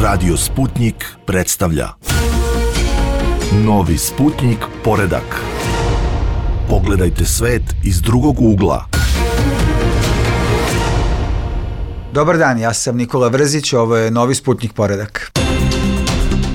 Radio Sputnik predstavlja Novi Sputnik poredak. Pogledajte svet iz drugog ugla. Dobar dan, ja sam Nikola Vrzić, ovo je Novi Sputnik poredak.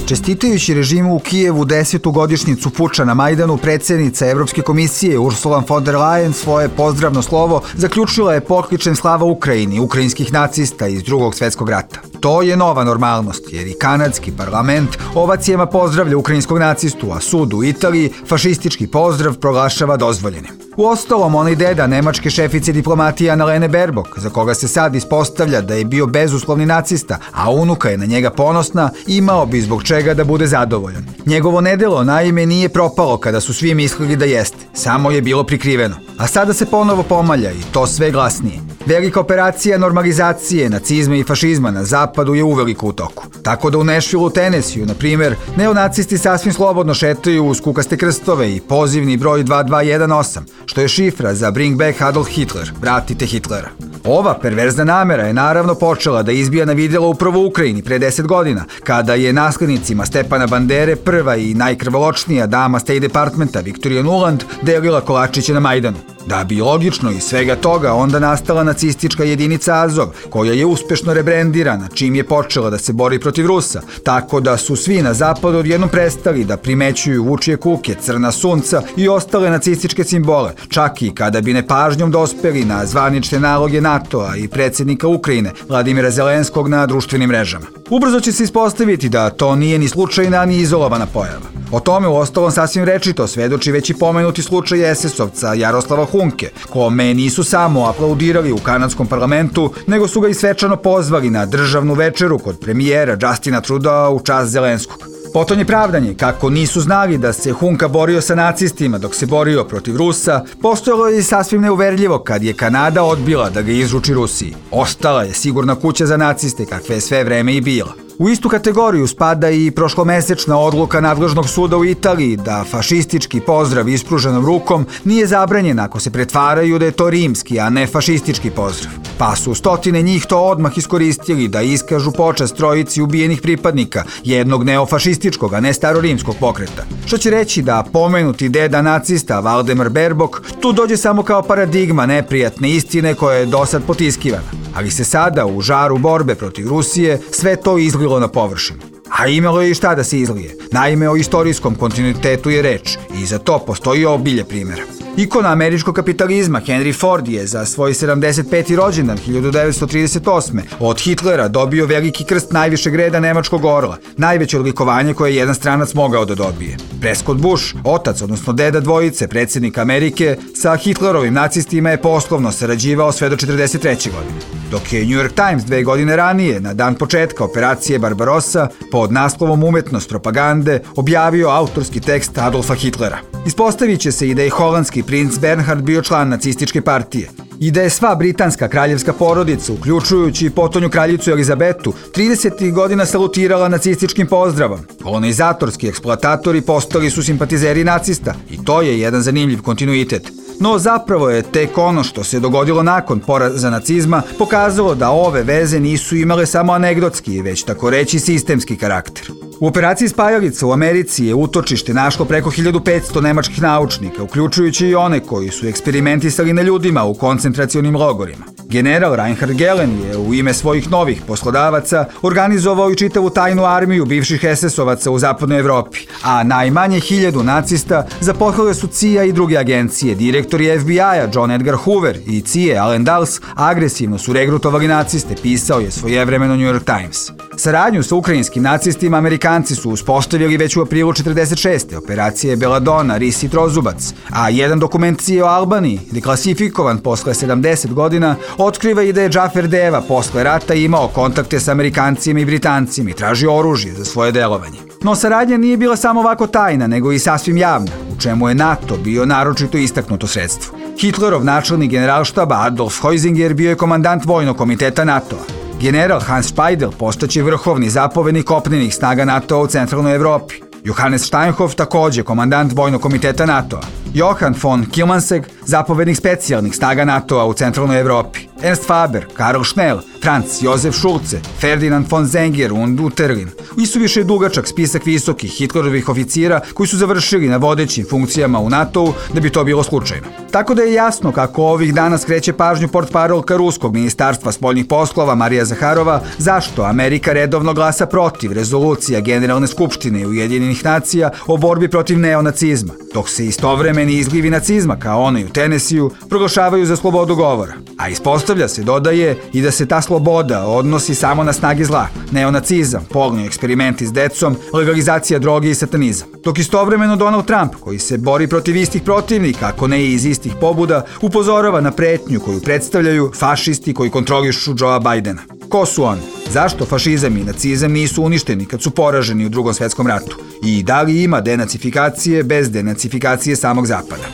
Čestitajući režimu u Kijevu 10. godišnjicu puča na Majdanu, predsjednica Evropske komisije Ursula von der Leyen svoje pozdravno slovo zaključila je pokličem slava Ukrajini, ukrajinskih nacista iz Drugog svjetskog rata. To je nova normalnost, jer i kanadski parlament ovacijama pozdravlja ukrajinskog nacistu, a sud u Italiji fašistički pozdrav proglašava dozvoljenim. Uostalom, onaj deda nemačke šefice diplomatije Annalene Baerbock, za koga se sad ispostavlja da je bio bezuslovni nacista, a unuka je na njega ponosna, imao bi zbog čega da bude zadovoljan. Njegovo nedelo naime nije propalo kada su svi mislili da jeste, samo je bilo prikriveno. A sada se ponovo pomalja i to sve glasnije. Velika operacija normalizacije nacizma i fašizma na zapadu je uveliko u toku. Tako da u Nashvilleu, Tennesseeu, na primjer, neonacisti sasvim slobodno šetaju uz kukaste krstove i pozivni broj 2218, što je šifra za Bring Back Adolf Hitler, vratite Hitlera. Ova perverzna namera je naravno počela da izbija na vidjelo upravo u Ukrajini pre 10 godina, kada je naslednicima Stepana Bandere prva i najkrvoločnija dama State Departmenta Victoria Nuland delila kolačiće na Majdanu. Da bi logično iz svega toga onda nastala nacistička jedinica Azov, koja je uspešno rebrendirana čim je počela da se bori protiv Rusa, tako da su svi na zapadu odjednom prestali da primećuju vučije kuke, crna sunca i ostale nacističke simbole, čak i kada bi nepažnjom dospeli na zvanične naloge NATO-a i predsjednika Ukrajine Vladimira Zelenskog na društvenim mrežama. Ubrzo će se ispostaviti da to nije ni slučajna ni izolovana pojava. O tome uostalom sasvim rečito svedoči već i pomenuti slučaj SS-ovca Jaroslava Hunke, kome nisu samo aplaudirali u kanadskom parlamentu, nego su ga i svečano pozvali na državnu večeru kod premijera Justina Trudeau u čast Zelenskog. Potom je pravdanje kako nisu znali da se Hunka borio sa nacistima dok se borio protiv Rusa, postojalo je sasvim neuverljivo kad je Kanada odbila da ga izruči Rusiji. Ostala je sigurna kuća za naciste kakve je sve vreme i bila. U istu kategoriju spada i prošlomesečna odluka nadležnog suda u Italiji da fašistički pozdrav ispruženom rukom nije zabranjen ako se pretvaraju da je to rimski, a ne fašistički pozdrav. Pa su stotine njih to odmah iskoristili da iskažu počast trojici ubijenih pripadnika jednog neofašističkog, a ne starorimskog pokreta. Što će reći da pomenuti deda nacista Valdemar Baerbock tu dođe samo kao paradigma neprijatne istine koja je dosad potiskivana. Ali se sada u žaru borbe protiv Rusije sve to izlilo na površinu. A imalo je i šta da se izlije. Naime, o istorijskom kontinuitetu je reč i za to postoji obilje primjera. Ikona američkog kapitalizma Henry Ford je za svoj 75. rođendan 1938. od Hitlera dobio veliki krst najvišeg reda nemačkog orla, najveće odlikovanje koje je jedan stranac mogao da dobije. Prescott Bush, otac odnosno deda dvojice predsjednika Amerike, sa Hitlerovim nacistima je poslovno sarađivao sve do 1943. godine. Dok je New York Times 2 godine ranije, na dan početka operacije Barbarossa, pod naslovom Umetnost propagande, objavio autorski tekst Adolfa Hitlera. Ispostavit će se i da je holandski princ Bernhard bio član nacističke partije i da je sva britanska kraljevska porodica, uključujući i potonju kraljicu Elizabetu, 30. godina salutirala nacističkim pozdravom. Kolonizatorski eksploatatori postali su simpatizeri nacista i to je jedan zanimljiv kontinuitet. No zapravo je tek ono što se dogodilo nakon poraza nacizma pokazalo da ove veze nisu imale samo anegdotski, već tako reći sistemski karakter. U operaciji Spajalica u Americi je utočište našlo preko 1500 nemačkih naučnika, uključujući i one koji su eksperimentisali na ljudima u koncentracionim logorima. General Reinhard Gehlen je u ime svojih novih poslodavaca organizovao i čitavu tajnu armiju bivših SS-ovaca u zapadnoj Evropi, a najmanje 1000 nacista zaposlile su CIA i druge agencije. Direktori FBI-a John Edgar Hoover i CIA Allen Dulles agresivno su regrutovali naciste, pisao je svojevremeno New York Times. Saradnju sa ukrajinskim nacistima Amerikanci su uspostavili već u aprilu 1946. operacije Belladonna, Ris i Trozubac, a jedan dokument CIA o Albaniji, deklasifikovan posle 70 godina, otkriva i da je Džafer Deva posle rata imao kontakte sa Amerikancima i Britancima i tražio oružje za svoje delovanje. No saradnja nije bila samo ovako tajna, nego i sasvim javna, u čemu je NATO bio naročito istaknuto sredstvo. Hitlerov načelnik generalštaba Adolf Heusinger bio je komandant vojnog komiteta NATO-a. General Hans Speidel postaće vrhovni zapovednik kopnenih snaga NATO-a u centralnoj Evropi. Johannes Steinhoff također komandant vojnog komiteta NATO-a. Johann von Kilmansegg, zapovednik specijalnih snaga NATO-a u centralnoj Evropi. Ernst Faber, Karl Schnell, Franz Josef Schulze, Ferdinand von Zenger und Unterlin. Isuviše je dugačak spisak visokih Hitlerovih oficira koji su završili na vodećim funkcijama u NATO-u da bi to bilo slučajno. Tako da je jasno kako ovih dana skreće pažnju portparolka Ruskog ministarstva spoljnih poslova Marija Zaharova zašto Amerika redovno glasa protiv rezolucija Generalne skupštine Ujedinjenih nacija o borbi protiv neonacizma, dok se istovremeni izlivi nacizma kao onaj u Tenesiju proglašavaju za slobodu govora. A ispostavlja se, dodaje, i da se ta sloboda odnosi samo na snage zla, neonacizam, polni eksperimenti s decom, legalizacija droge i satanizam. Dok istovremeno Donald Trump, koji se bori protiv istih protivnika, ako ne i iz istih pobuda, upozorava na pretnju koju predstavljaju fašisti koji kontrolišu Joea Bidena. Ko su oni? Zašto fašizam i nacizam nisu uništeni kad su poraženi u Drugom svetskom ratu? I da li ima denacifikacije bez denacifikacije samog Zapada?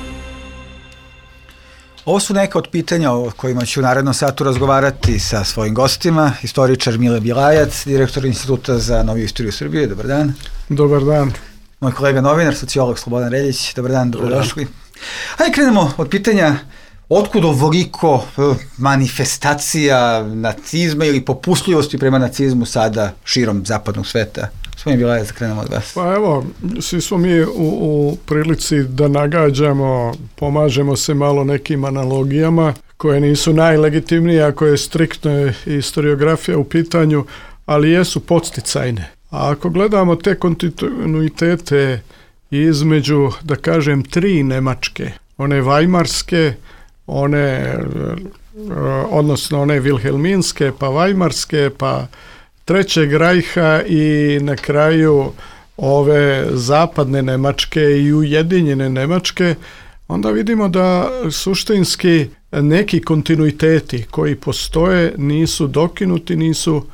Ovo su neka od pitanja o kojima ću u narednom satu razgovarati sa svojim gostima. Istoričar Mile Bjelajac, direktor Instituta za noviju istoriju Srbije. Dobar dan. Dobar dan. Moj kolega novinar, sociolog Slobodan Reljić. Dobar dan, dobrodošli. Hajde krenemo od pitanja otkud ovoliko manifestacija nacizma ili popustljivosti prema nacizmu sada širom zapadnog sveta. Gospodin Bjelajac, da krenemo od vas. Pa evo, svi smo mi u prilici da nagađamo, pomažemo se malo nekim analogijama koje nisu najlegitimnije ako je striktna historiografija u pitanju, ali jesu podsticajne. A ako gledamo te kontinuitete između, da kažem, tri Nemačke, one vajmarske, odnosno one vilhelminske, pa vajmarske, pa Trećeg rajha i na kraju ove zapadne Nemačke i ujedinjene Nemačke, onda vidimo da suštinski neki kontinuiteti koji postoje nisu dokinuti, nisu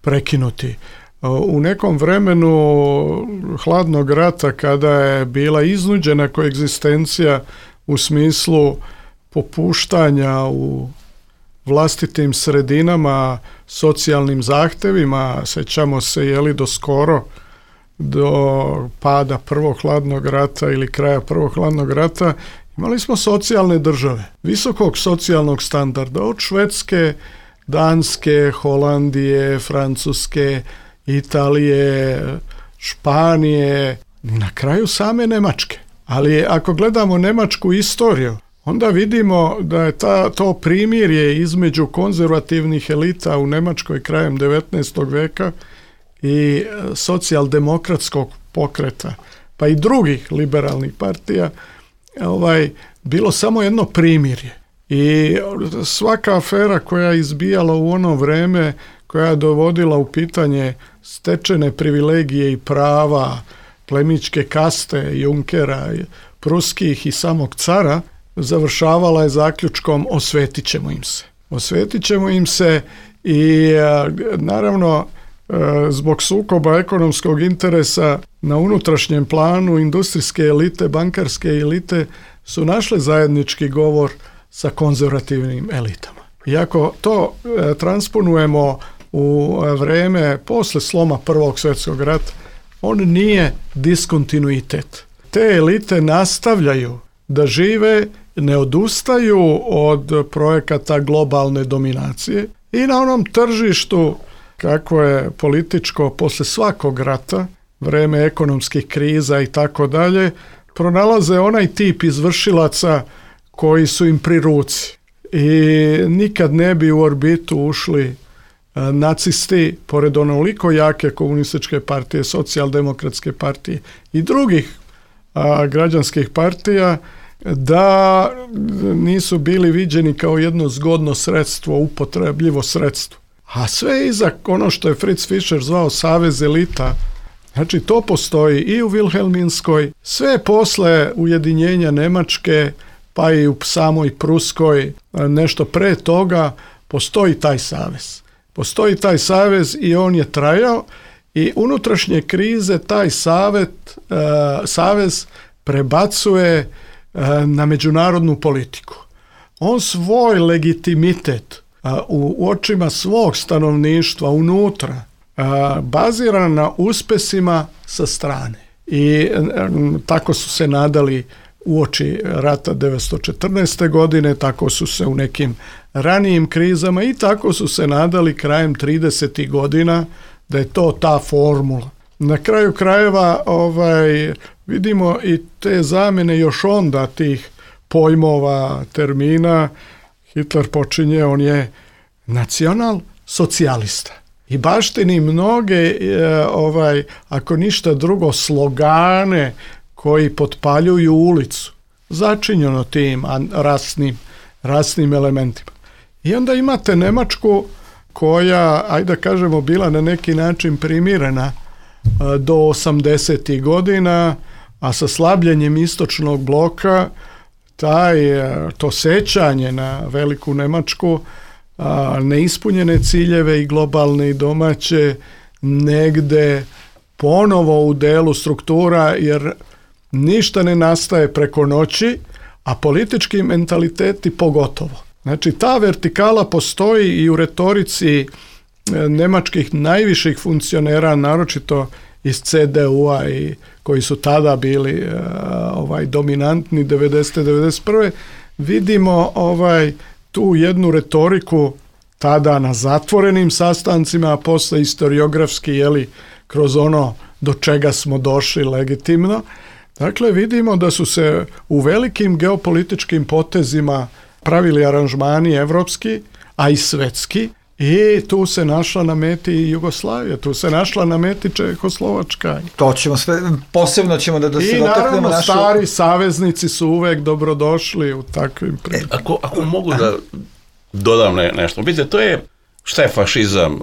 prekinuti. U nekom vremenu hladnog rata, kada je bila iznuđena koegzistencija u smislu popuštanja u vlastitim sredinama, socijalnim zahtevima, sećamo se do pada prvog hladnog rata ili kraja prvog hladnog rata, imali smo socijalne države, visokog socijalnog standarda, od Švedske, Danske, Holandije, Francuske, Italije, Španije, na kraju same Nemačke. Ali ako gledamo nemačku istoriju, onda vidimo da je to primirje između konzervativnih elita u Nemačkoj krajem 19. veka i socijaldemokratskog pokreta, pa i drugih liberalnih partija, bilo samo jedno primirje. I svaka afera koja je izbijala u ono vreme, koja je dovodila u pitanje stečene privilegije i prava plemićke kaste, Junkera, pruskih i samog cara, završavala je zaključkom osvetit ćemo im se. Osvetit ćemo im se i naravno zbog sukoba ekonomskog interesa na unutrašnjem planu industrijske elite, bankarske elite su našle zajednički govor sa konzervativnim elitama. I ako to transponujemo u vreme posle sloma Prvog svjetskog rata, on nije diskontinuitet. Te elite nastavljaju da žive, ne odustaju od projekata globalne dominacije i na onom tržištu, kako je političko posle svakog rata, vreme ekonomskih kriza i tako dalje, pronalaze onaj tip izvršilaca koji su im pri ruci. I nikad ne bi u orbitu ušli nacisti, pored onoliko jake komunističke partije, socijaldemokratske partije i drugih građanskih partija, da nisu bili viđeni kao jedno zgodno sredstvo, upotrebljivo sredstvo. A sve iza ono što je Fritz Fischer zvao savez elita, znači to postoji i u Vilhelminskoj, sve posle ujedinjenja Nemačke, pa i u samoj Pruskoj, nešto pre toga, postoji taj savez. Postoji taj savez i on je trajao i unutrašnje krize taj savez prebacuje na međunarodnu politiku. On svoj legitimitet u očima svog stanovništva unutra bazira na uspesima sa strane. I tako su se nadali uoči rata 1914. godine, tako su se u nekim ranijim krizama i tako su se nadali krajem 30. godina da je to ta formula. Na kraju krajeva vidimo i te zamjene još onda tih pojmova, termina. Hitler počinje, on je nacional socijalista i baštini mnoge, ako ništa drugo, slogane koji potpaljuju ulicu, začinjeno tim rasnim elementima. I onda imate Njemačku koja, ajde da kažemo, bila na neki način primirena do 80. godina, a sa slabljenjem istočnog bloka to sećanje na veliku Njemačku, neispunjene ciljeve i globalne i domaće negde ponovo u delu struktura, jer ništa ne nastaje preko noći, a politički mentaliteti pogotovo. Znači, ta vertikala postoji i u retorici njemačkih najviših funkcionera, naročito iz CDU-a i koji su tada bili dominantni 90. 91. Vidimo tu jednu retoriku tada na zatvorenim sastancima, a posle historiografski, kroz ono do čega smo došli legitimno. Dakle, vidimo da su se u velikim geopolitičkim potezima pravili aranžmani evropski, a i svetski, i tu se našla na meti Jugoslavija, tu se našla na meti Čehoslovačka. To ćemo sve, posebno ćemo da se dotaknemo našu... I naravno, stari saveznici su uvek dobrodošli u takvim prilikama. Ako mogu da dodam nešto, vidite, to je, šta je fašizam,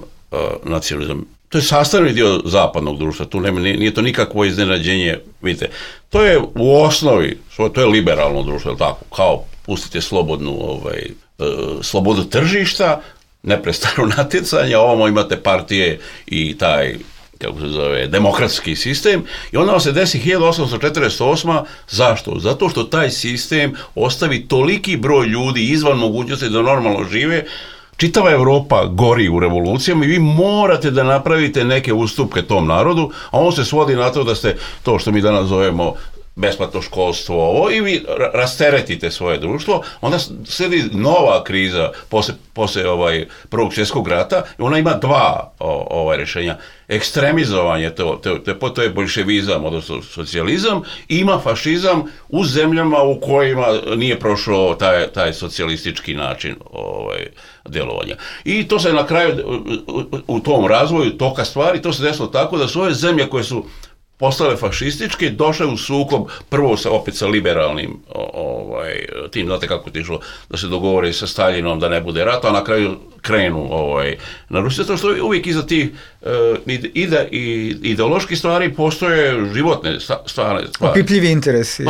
nacionalizam? To je sastavni dio zapadnog društva, tu nije to nikakvo iznenađenje, vidite, to je u osnovi, to je liberalno društvo, je tako, kao pustite slobodu tržišta, neprestano natjecanje, ovamo imate partije i taj, kako se zove, demokratski sistem, i onda se desi 1848. Zašto? Zato što taj sistem ostavi toliki broj ljudi izvan mogućnosti da normalno žive. Čitava Evropa gori u revolucijama i vi morate da napravite neke ustupke tom narodu, a on se svodi na to da ste to što mi danas zovemo besplatno školstvo i vi rasteretite svoje društvo. Onda sledi nova kriza posle Prvog svjetskog rata i ona ima dva rješenja. Ekstremizovanje, to je boljševizam, odnosno socijalizam, i ima fašizam u zemljama u kojima nije prošao taj socijalistički način djelovanja. I to se na kraju u tom razvoju toka stvari, to se desilo tako da su ove zemlje koje su postale fašističke, došle u sukob prvo opet sa liberalnim tim, znate kako je išlo, da se dogovore sa Staljinom da ne bude rata, a na kraju krenu na Rusiju, zato što uvijek iza tih ideoloških stvari postoje životne stvari. Opipljivi interesi.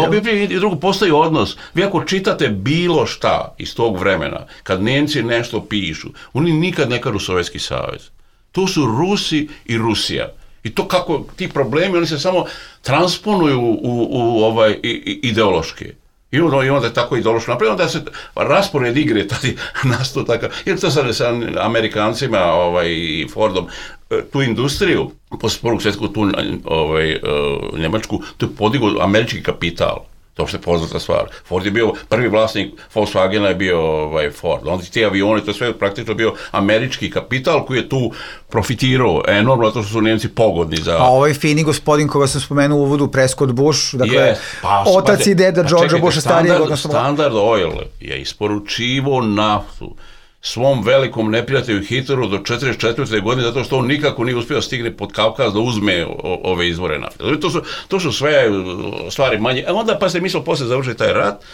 I drugo, postoji odnos. Vi ako čitate bilo šta iz tog vremena, kad Nemci nešto pišu, oni nikad ne kažu Sovjetski savez. To su Rusi i Rusija. I to kako ti problemi, oni se samo transponuju u ideološke. I onda je tako ideološko napravljeno, onda se raspored igre tada nastao takav. Jer to sa Amerikancima i Fordom, tu industriju, posle Prvog svjetskog, tu Njemačku, tu je podigao američki kapital. To što je poznata stvar. Ford je bio prvi vlasnik Volkswagena, je bio Ford. Onda ti avioni, to je sve praktično bio američki kapital koji je tu profitirao enormno, zato što su Njemci pogodni za... A ovaj fini gospodin koga sam spomenuo u uvodu, Prescott Bush, dakle, otac i deda Georgea Busha starijeg, odnosno... Standard Oil je isporučivo naftu svom velikom neprijatelju Hitleru do 1944. godine, zato što on nikako nije uspio stigne pod Kavkaz da uzme ove izvore nafte. To su sve stvari manje. A onda, pa se mi smo posle završili taj rat,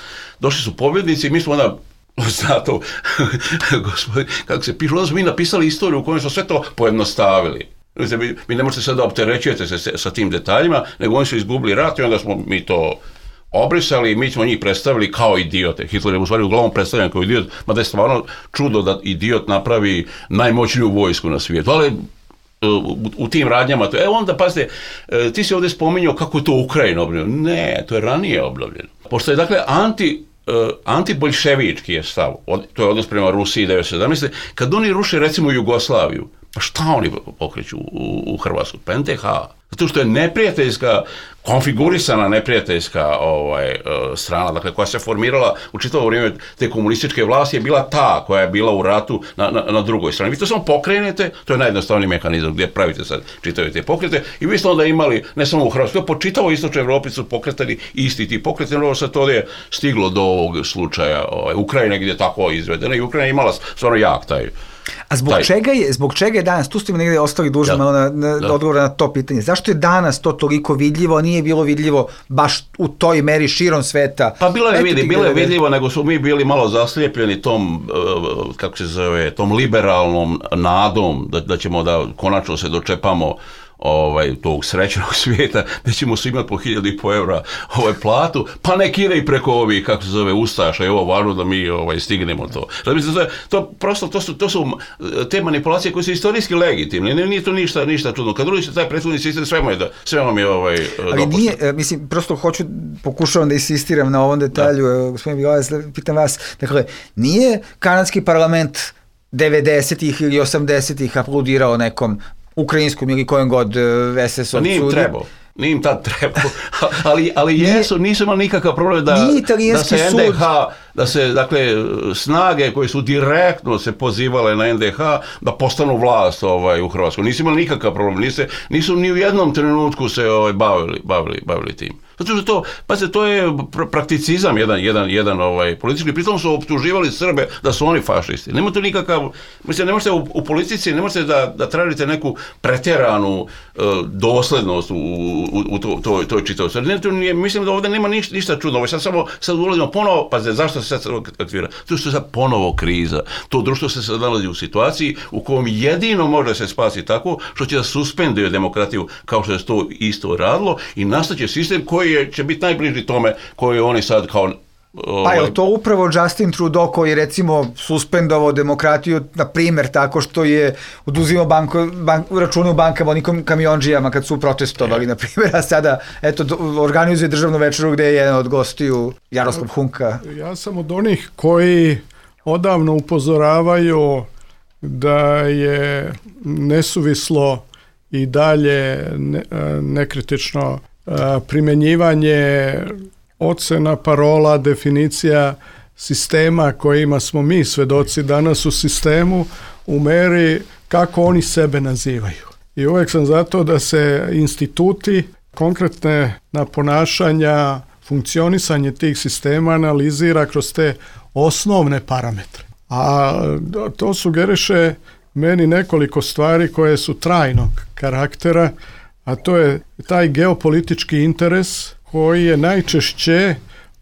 došli su pobjednici i mi smo onda, zato, gospodin, kako se piše, onda smo mi napisali istoriju u kojoj smo sve to pojednostavili. Mi ne možete sad da opterećujete se sa tim detaljima, nego oni su izgubili rat i onda smo mi to obrisali i mi smo njih predstavili kao idiote. Hitler je u stvari uglavnom predstavljen kao idiot, mada je stvarno čudo da idiot napravi najmoćniju vojsku na svijetu. Ali u tim radnjama, onda pazite, ti si ovdje spominjao kako je to Ukrajina obnovljeno. Ne, to je ranije obnovljeno. Pošto je dakle antiboljševički je stav, to je odnos prema Rusiji 1917. Kad oni ruše recimo Jugoslaviju, Šta oni pokreću u Hrvatskoj? Pa NDH. Zato što je neprijateljska, konfigurisana neprijateljska strana, dakle, koja se formirala u čitavo vrijeme te komunističke vlasti, je bila ta koja je bila u ratu na drugoj strani. Vi to samo pokrenete, to je najjednostavniji mehanizam gdje pravite sad čitave te pokrete, i vi ste onda imali, ne samo u Hrvatskoj, po čitavoj istočnoj Evropi su pokretali isti ti pokreti, no sad to je stiglo do ovog slučaja Ukrajine gdje je tako izvedeno, i Ukrajina je imala stvarno jak taj. A zbog čega je danas, tu ste mi negdje ostali dužni malo na odgovor na to pitanje, zašto je danas to toliko vidljivo, a nije bilo vidljivo baš u toj meri širom sveta? Pa bilo je vidljivo, nego su mi bili malo zaslijepljeni tom, kako se zove, tom liberalnom nadom da ćemo da konačno se dočepamo tog srećnog svijeta, da ćemo svi imati po 1.500 eura platu, pa nek ide i preko ovih, kako se zove, ustaša, i ovo važno da mi stignemo to. To su te manipulacije koje su istorijski legitimne, nije to ništa čudno. Kad drugi se taj prethodni sistem, sve vam je ali nije, mislim, prosto pokušavam da insistiram na ovom detalju, gospodin Bilac, pitam vas, dakle, nije kanadski parlament 90-ih ili 80-ih aplodirao nekom ukrajinskom ili kojem god SS-ovcu. Nije im tad trebao, ali nisu imali nikakav problem da se NDH, da se, dakle, snage koje su direktno se pozivale na NDH da postanu vlast u Hrvatskoj. Nisu imali nikakav problem, nisu ni u jednom trenutku se bavili tim. Zato što to je prakticizam jedan politički, pritom su optuživali Srbe da su oni fašisti. Nema tu nikakav, mislim, ne možete u politici, ne možete da tražite neku pretjeranu doslednost u toj čitavosti. Mislim da ovdje nema ništa čudno. Sad ulazimo ponovo, zašto se sad aktivira? To što je sad ponovo kriza. To društvo se sad nalazi u situaciji u kojem jedino može se spasiti tako što će da suspenduje demokratiju, kao što je to isto radilo, i nastaće sistem koji će biti najbliži tome koji oni sad kao... Pa je to upravo Justin Trudeau koji je, recimo, suspendovao demokratiju, na primjer, tako što je oduzimao račune u bankama onim kamionđijama kad su protestovali, na primjer, a sada, organizuje državnu večeru gdje je jedan od gostiju Jaroslav Hunka. Ja sam od onih koji odavno upozoravaju da je nesuvislo i dalje nekritično primjenjivanje ocena, parola, definicija sistema kojima smo mi svedoci danas u sistemu u meri kako oni sebe nazivaju. I uvijek sam zato da se instituti, konkretne na ponašanja, funkcionisanje tih sistema analizira kroz te osnovne parametre. A to sugeriše meni nekoliko stvari koje su trajnog karaktera, a to je taj geopolitički interes koji je najčešće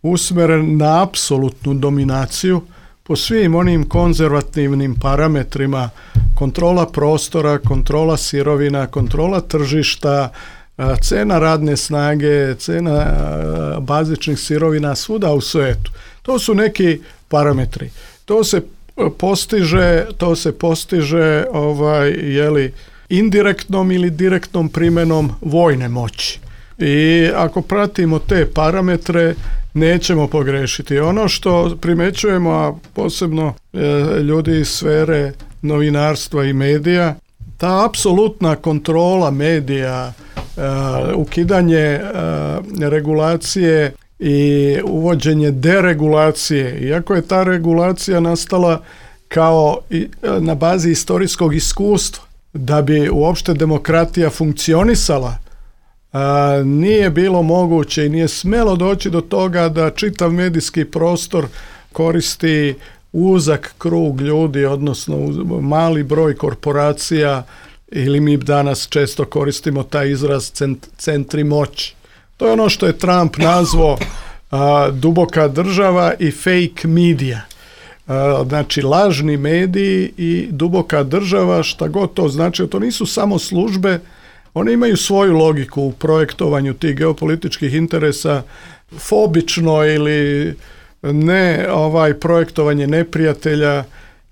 usmeren na apsolutnu dominaciju po svim onim konzervativnim parametrima, kontrola prostora, kontrola sirovina, kontrola tržišta, cena radne snage, cena bazičnih sirovina svuda u svijetu. To su neki parametri. To se postiže indirektnom ili direktnom primjenom vojne moći. I ako pratimo te parametre, nećemo pogrešiti. Ono što primećujemo, a posebno ljudi iz sfere novinarstva i medija, ta apsolutna kontrola medija, ukidanje regulacije i uvođenje deregulacije, iako je ta regulacija nastala kao na bazi istorijskog iskustva, da bi uopšte demokratija funkcionisala, nije bilo moguće i nije smjelo doći do toga da čitav medijski prostor koristi uzak krug ljudi, odnosno mali broj korporacija, ili mi danas često koristimo taj izraz centri moći. To je ono što je Trump nazvao duboka država i fake media. Znači lažni mediji i duboka država, šta god to znači, to nisu samo službe, one imaju svoju logiku u projektovanju tih geopolitičkih interesa, fobično ili ne projektovanje neprijatelja,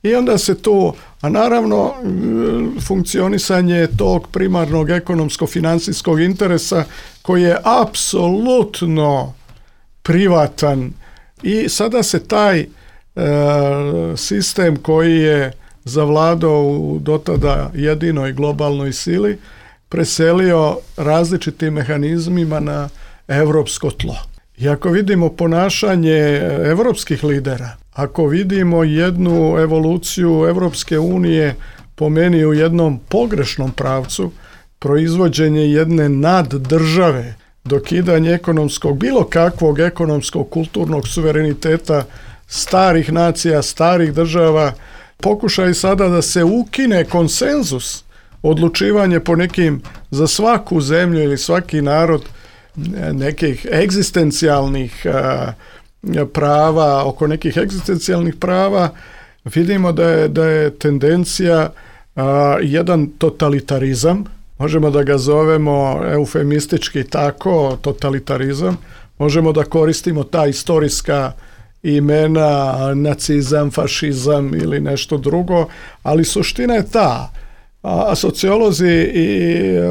i onda se tu, a naravno funkcionisanje tog primarnog ekonomsko-financijskog interesa koji je apsolutno privatan, i sada se taj sistem koji je zavladao u dotada jedinoj globalnoj sili, preselio različitim mehanizmima na evropsko tlo. I ako vidimo ponašanje evropskih lidera, ako vidimo jednu evoluciju Evropske unije po meni u jednom pogrešnom pravcu, proizvođenje jedne naddržave, dokidanje ekonomskog, bilo kakvog ekonomskog, kulturnog suvereniteta starih nacija, starih država, pokušaj sada da se ukine konsenzus, odlučivanje po nekim, za svaku zemlju ili svaki narod, nekih egzistencijalnih prava, oko nekih egzistencijalnih prava, vidimo da je tendencija jedan totalitarizam, možemo da ga zovemo eufemistički tako, totalitarizam, možemo da koristimo ta istorijska imena, nacizam, fašizam ili nešto drugo, ali suština je ta. A sociolozi i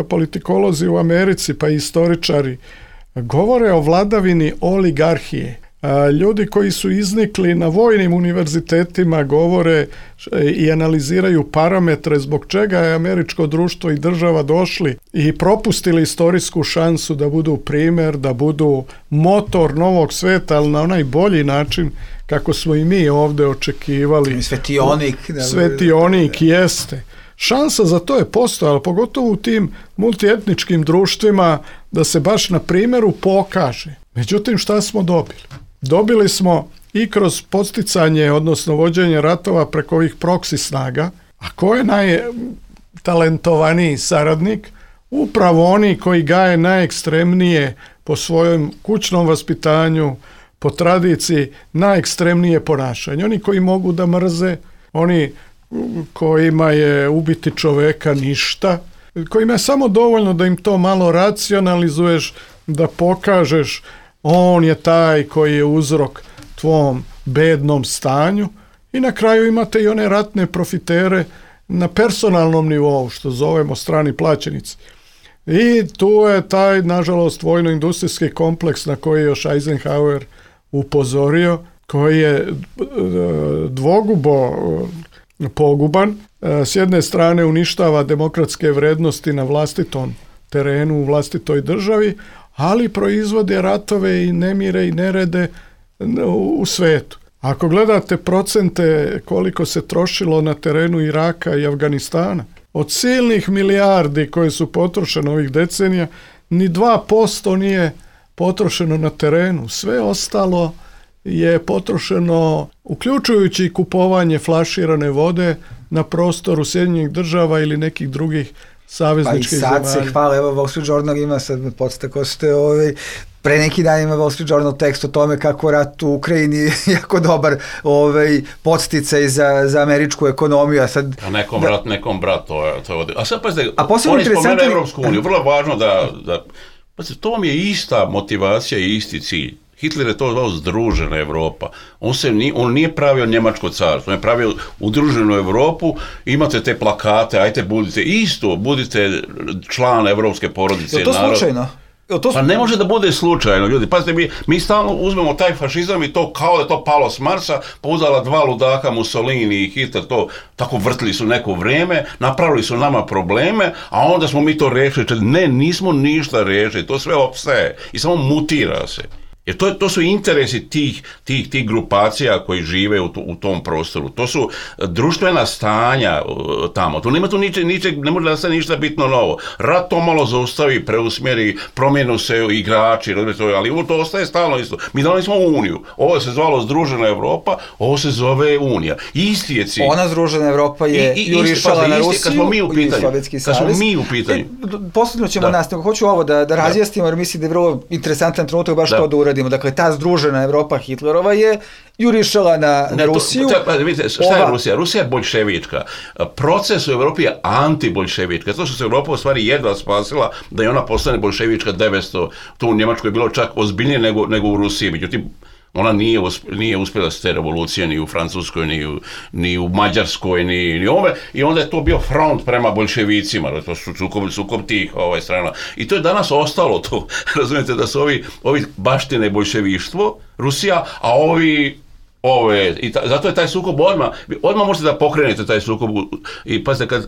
politikolozi u Americi, pa i istoričari, govore o vladavini oligarhije. Ljudi koji su iznikli na vojnim univerzitetima govore i analiziraju parametre zbog čega je američko društvo i država došli i propustili istorijsku šansu da budu primer, da budu motor novog sveta, ali na onaj bolji način kako smo i mi ovdje očekivali. Svetionik jeste. Šansa za to je postojala, pogotovo u tim multietničkim društvima, da se baš na primjeru pokaže. Međutim, šta smo dobili? Dobili smo i kroz podsticanje, odnosno vođenje ratova preko ovih proksi snaga, a ko je najtalentovaniji saradnik? Upravo oni koji gaje najekstremnije po svojom kućnom vaspitanju, po tradiciji, najekstremnije ponašanje. Oni koji mogu da mrze, oni kojima je ubiti čoveka ništa, kojima je samo dovoljno da im to malo racionalizuješ, da pokažeš on je taj koji je uzrok tvom bednom stanju, i na kraju imate i one ratne profitere na personalnom nivou, što zovemo strani plaćenici. I tu je taj, nažalost, vojno-industrijski kompleks na koji je još Eisenhower upozorio, koji je dvogubo poguban. S jedne strane uništava demokratske vrednosti na vlastitom terenu, u vlastitoj državi, ali proizvode ratove i nemire i nerede u svetu. Ako gledate procente koliko se trošilo na terenu Iraka i Afganistana, od silnih milijardi koje su potrošene ovih decenija, ni 2% nije potrošeno na terenu. Sve ostalo je potrošeno, uključujući kupovanje flaširane vode na prostoru Sjedinjenih Država ili nekih drugih savezničkih zemalja. Pa i sad se hvala, evo Wall Street Journal ima, sad me podstako ste, pre neki dan ima Wall Street Journal tekst o tome kako rat u Ukrajini jako dobar podsticaj za američku ekonomiju. A sad, nekom rat, nekom brat, to je. A sad pazite, oni spomenu Evropsku uniju, vrlo važno da pazite, to vam je ista motivacija i isti cilj. Hitler je to zvao združena Evropa. On nije pravio Njemačko carstvo, on je pravio udruženu Evropu, imate te plakate, ajte budite član evropske porodice. Je to slučajno? Pa ne može da bude slučajno, ljudi. Pazite, mi stalno uzmemo taj fašizam i to kao da je to palo s Marsa, pa uzela dva ludaka, Mussolini i Hitler, to tako vrtili su neko vrijeme, napravili su nama probleme, a onda smo mi to rešili. Ne, nismo ništa rešili, to sve opstaje i samo mutira se. Jer to su interesi tih grupacija koji žive u tom prostoru. To su društvena stanja tamo. Tu nema ne može da se ništa bitno novo. Rat to malo zaustavi, preusmjeri, promijenu se igrači, ali to ostaje stalno isto. Mi dali smo Uniju. Ovo se zvalo Združena Evropa, ovo se zove Unija. Isti je cilj. Ona Združena Evropa je jurišala na Rusiju i Sovjetski savez. Kad smo mi u pitanju. Posljedno ćemo nastaviti. Hoću ovo da razjasnimo, jer mislim da je vrlo interesantan trenutak baš to da uradimo. Dakle, ta Združena Evropa Hitlerova je jurišala na Rusiju. Vidite, šta je Rusija? Rusija je boljševička. Proces u Evropi je antiboljševička. To što se Evropa u stvari jedva spasila da je ona postane boljševička 900. To u Njemačkoj je bilo čak ozbiljnije nego u Rusiji. Međutim, ona nije uspjela s te revolucije ni u Francuskoj, ni u Mađarskoj, ni ove. I onda je to bio front prema boljševicima. To su sukob tih strana. I to je danas ostalo to. Razumijete da su ovi baštine boljševištvo, Rusija, a zato je taj sukob odmah možete da pokrenete taj sukob. I pazite,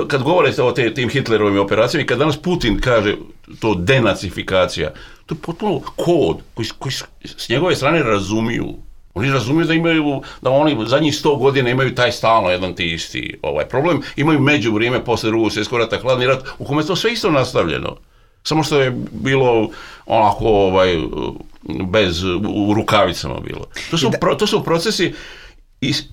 kad govorite o tim Hitlerovim operacijama i kad danas Putin kaže to denacifikacija, to je potpuno kod koji s njegove strane razumiju. Oni razumiju da oni zadnjih 100 godina imaju taj stalno jedan ti isti problem. Imaju među vrijeme posle Drugog svjetskog rata, hladni rat, u kome je to sve isto nastavljeno. Samo što je bilo onako u rukavicama bilo. To su procesi,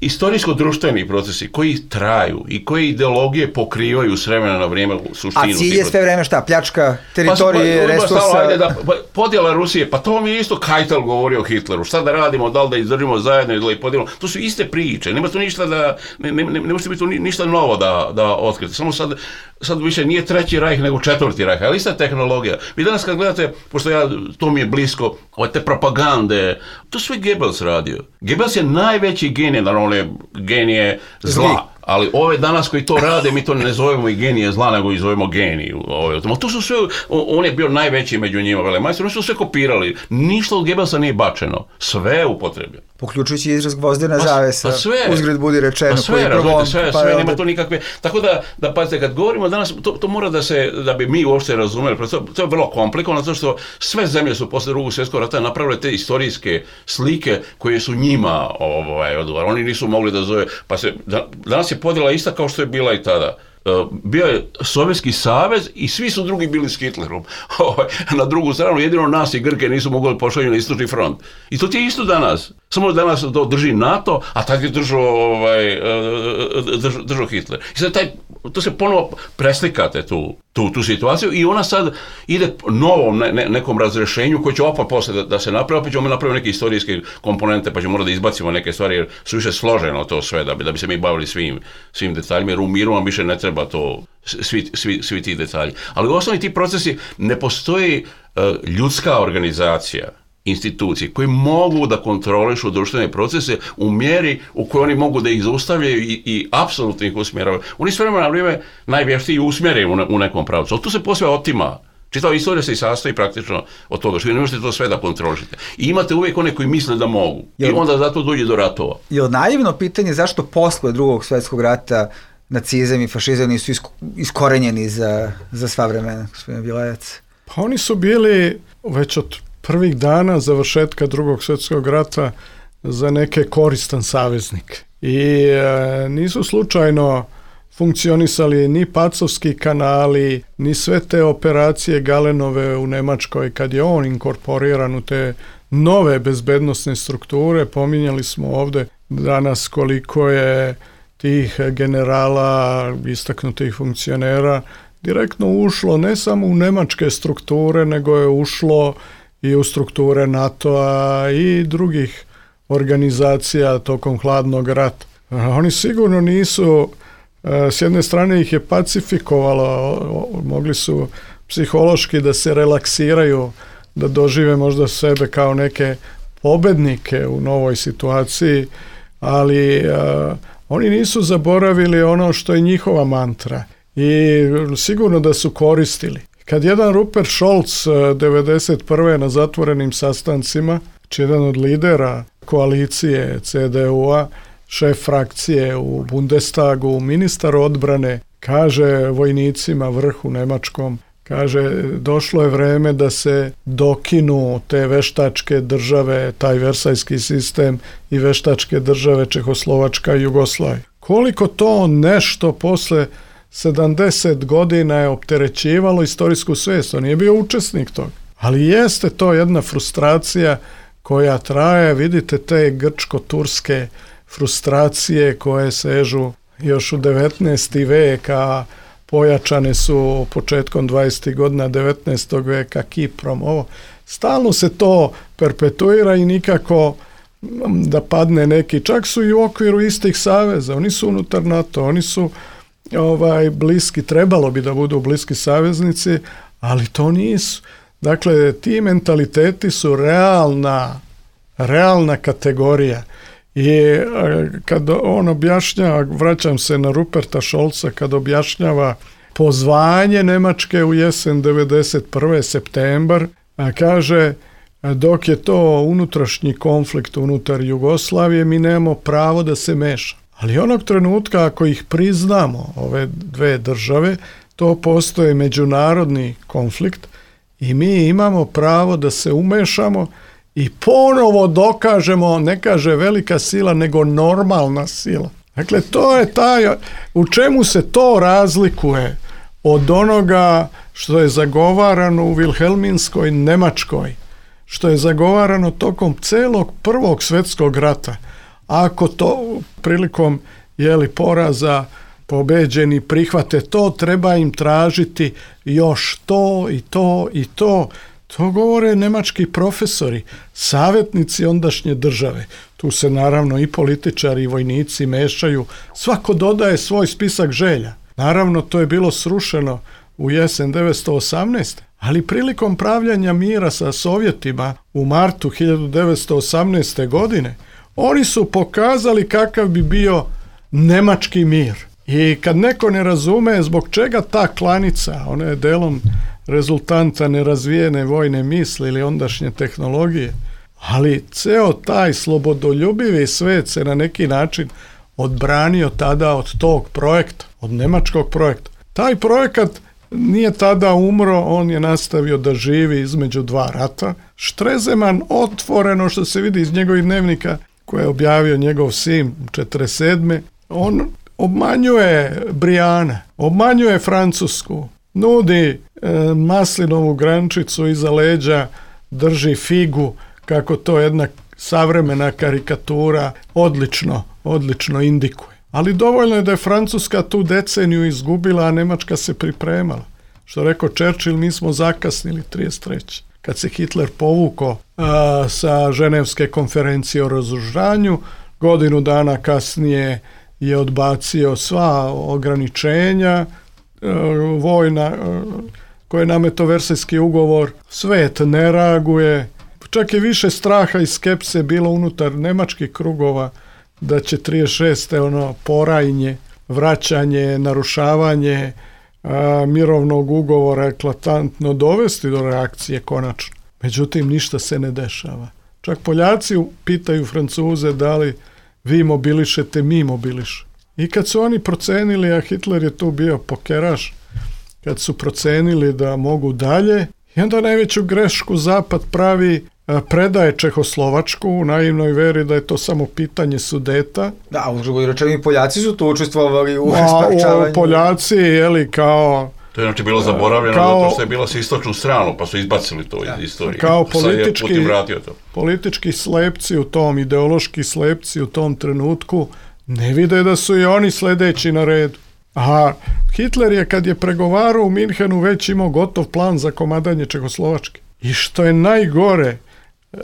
istorijsko-društveni procesi koji traju i koje ideologije pokrivaju s vremena na vrijeme suštinu. A cilj je sve vreme šta? Pljačka teritorije, resursa? Podjela Rusije, pa to mi je isto Keitel govorio o Hitleru. Šta da radimo, da li da izdržimo zajedno ili da ih podijelimo? To su iste priče. Nema tu ništa ne može biti ništa novo da otkriti. Samo sad više nije Treći rajh nego Četvrti rajh, ali ista tehnologija. Vi danas kad gledate, pošto to mi je blisko, te propagande, to sve Goebbels radio. Goebbels je najveći genije, naravno genije zla. Ali ove danas koji to rade, mi to ne zovemo i genije zla, nego i zovemo geniju. To su sve, on je bio najveći među njima, velemajstor, oni su sve kopirali. Ništa od Goebbelsa nije bačeno. Sve je upotrebljeno. Poključujući izraz gvozdena zavesa, uzgred budi rečeno. Sve, nema to nikakve. Tako da pazite, kad govorimo danas, to mora da bi mi uopšte razumeli, to je vrlo komplikovano, zato što sve zemlje su posle Drugog svjetskog rata napravile te istorijske slike koje su njima odgovarali. Oni nisu mogli da zove, danas je podjela ista kao što je bila i tada. Bio je Sovjetski savez i svi su drugi bili s Hitlerom. Na drugu stranu, jedino nas i Grke nisu mogli pošalju na istočni front. I to ti je isto danas. Samo danas to drži NATO, a tad je držao Hitler. I sad to se ponovo preslikate tu situaciju i ona sad ide novom nekom razrešenju koji će opet posle da se napravi, opet ćemo napraviti neke istorijske komponente, pa ćemo morati da izbacimo neke stvari jer su više složeno to sve, da bi se mi bavili svim detaljima, jer u miru vam više ne treba to, svi ti detalji. Ali u osnovi ti procesi ne postoji ljudska organizacija, institucije koje mogu da kontrolišu društvene procese u mjeri u kojoj oni mogu da ih zaustavljaju i apsolutno ih usmjeravaju. Oni s vremena na vrijeme najvještiji usmjeraju u nekom pravcu, ali tu se posve otima. Čitava istorija se i sastoji praktično od toga što vi ne možete to sve da kontrolišete. I imate uvijek one koji misle da mogu. I onda zato dođe do ratova. Je li naivno pitanje zašto posle Drugog svjetskog rata nacizam i fašizam nisu iskorenjeni za sva vremena, gospodine Bilajac? Pa oni su bili već od prvih dana završetka Drugog svjetskog rata za neke koristan saveznik. I nisu slučajno funkcionisali ni pacovski kanali, ni sve te operacije Galenove u Nemačkoj kad je on inkorporiran u te nove bezbednosne strukture. Pominjali smo ovdje danas koliko je tih generala, istaknutih funkcionera direktno ušlo ne samo u nemačke strukture, nego je ušlo i u strukture NATO-a i drugih organizacija tokom hladnog rata. Oni sigurno nisu, s jedne strane ih je pacifikovalo, mogli su psihološki da se relaksiraju, da dožive možda sebe kao neke pobednike u novoj situaciji, ali oni nisu zaboravili ono što je njihova mantra i sigurno da su koristili. Kad jedan Rupert Scholz 1991. na zatvorenim sastancima, jedan od lidera koalicije CDU-a, šef frakcije u Bundestagu, ministar odbrane, kaže vojnicima vrhu nemačkom, kaže došlo je vreme da se dokinu te veštačke države, taj versajski sistem i veštačke države Čehoslovačka i Jugoslavija. Koliko to nešto posle 70 godina je opterećivalo istorijsku svijest, on nije bio učesnik toga. Ali jeste to jedna frustracija koja traje, vidite te grčko-turske frustracije koje sežu još u 19. vek, a pojačane su početkom 20. godina 19. veka Kiprom. Stalno se to perpetuira i nikako da padne neki, čak su i u okviru istih saveza, oni su unutar NATO, oni su bliski, trebalo bi da budu bliski saveznici, ali to nisu. Dakle, ti mentaliteti su realna kategorija. I kad on objašnjava, vraćam se na Ruperta Scholza, kad objašnjava pozvanje Nemačke u jesen 91. septembar, kaže dok je to unutrašnji konflikt unutar Jugoslavije, mi nemamo pravo da se meša. Ali onog trenutka ako ih priznamo, ove dve države, to postoje međunarodni konflikt i mi imamo pravo da se umešamo i ponovo dokažemo, ne kaže velika sila, nego normalna sila. Dakle, to je u čemu se to razlikuje od onoga što je zagovarano u Vilhelminskoj Nemačkoj, što je zagovarano tokom celog Prvog svjetskog rata. Ako to prilikom poraza pobeđeni prihvate to, treba im tražiti još to i to i to. To govore nemački profesori, savjetnici ondašnje države. Tu se naravno i političari i vojnici mešaju. Svako dodaje svoj spisak želja. Naravno, to je bilo srušeno u jesen 1918. Ali prilikom pravljanja mira sa Sovjetima u martu 1918. godine, oni su pokazali kakav bi bio nemački mir. I kad neko ne razume zbog čega ta klanica, ona je delom rezultanta nerazvijene vojne misli ili ondašnje tehnologije, ali ceo taj slobodoljubivi svet se na neki način odbranio tada od tog projekta, od nemačkog projekta. Taj projekat nije tada umro, on je nastavio da živi između dva rata. Stresemann otvoreno, što se vidi iz njegovih dnevnika koje je objavio njegov sin 1947. On obmanjuje Briana, obmanjuje Francusku, nudi maslinovu grančicu iza leđa, drži figu, kako to jedna savremena karikatura odlično indikuje. Ali dovoljno je da je Francuska tu deceniju izgubila, a Nemačka se pripremala. Što rekao Churchill, mi smo zakasnili 1933. Kad se Hitler povukao sa Ženevske konferencije o razoružanju, godinu dana kasnije je odbacio sva ograničenja vojna koje je nametao Versajski ugovor. Svet ne reaguje. Čak je više straha i skepse bilo unutar nemačkih krugova da će 1936. porajnje, vraćanje, narušavanje mirovnog ugovora eklatantno dovesti do reakcije konačno. Međutim, ništa se ne dešava. Čak Poljaci pitaju Francuze da li vi mobilišete, mi mobiliš. I kad su oni procenili, a Hitler je tu bio pokeraš, kad su procenili da mogu dalje, i onda najveću grešku Zapad pravi, predaje Čehoslovačku u naivnoj veri da je to samo pitanje Sudeta. Da, u drugoj rečeni Poljaci su tu učestvovali u spačavanju. Poljaci, kao... To je znači bilo zaboravljeno zato što je bilo sa istočnu stranu, pa su izbacili to iz istorije. Kao politički slepci u tom, ideološki slepci u tom trenutku, ne vide da su i oni sledeći na redu. A Hitler je, kad je pregovarao u Minhenu, već imao gotov plan za komadanje Čehoslovačke. I što je najgore,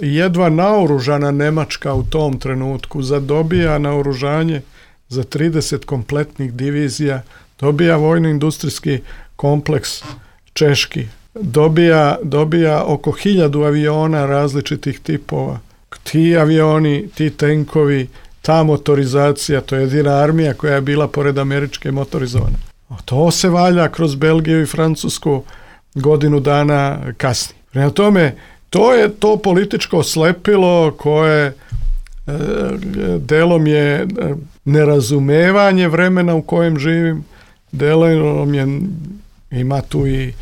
jedva naoružana Nemačka u tom trenutku zadobija naoružanje za 30 kompletnih divizija, dobija vojno-industrijski kompleks češki, dobija oko 1000 aviona različitih tipova. Ti avioni, ti tenkovi, ta motorizacija, to je jedina armija koja je bila pored američke motorizovane. To se valja kroz Belgiju i Francusku godinu dana kasnije. Prema tome, to je to političko slepilo koje delom je nerazumevanje vremena u kojem živim, delom je, ima tu i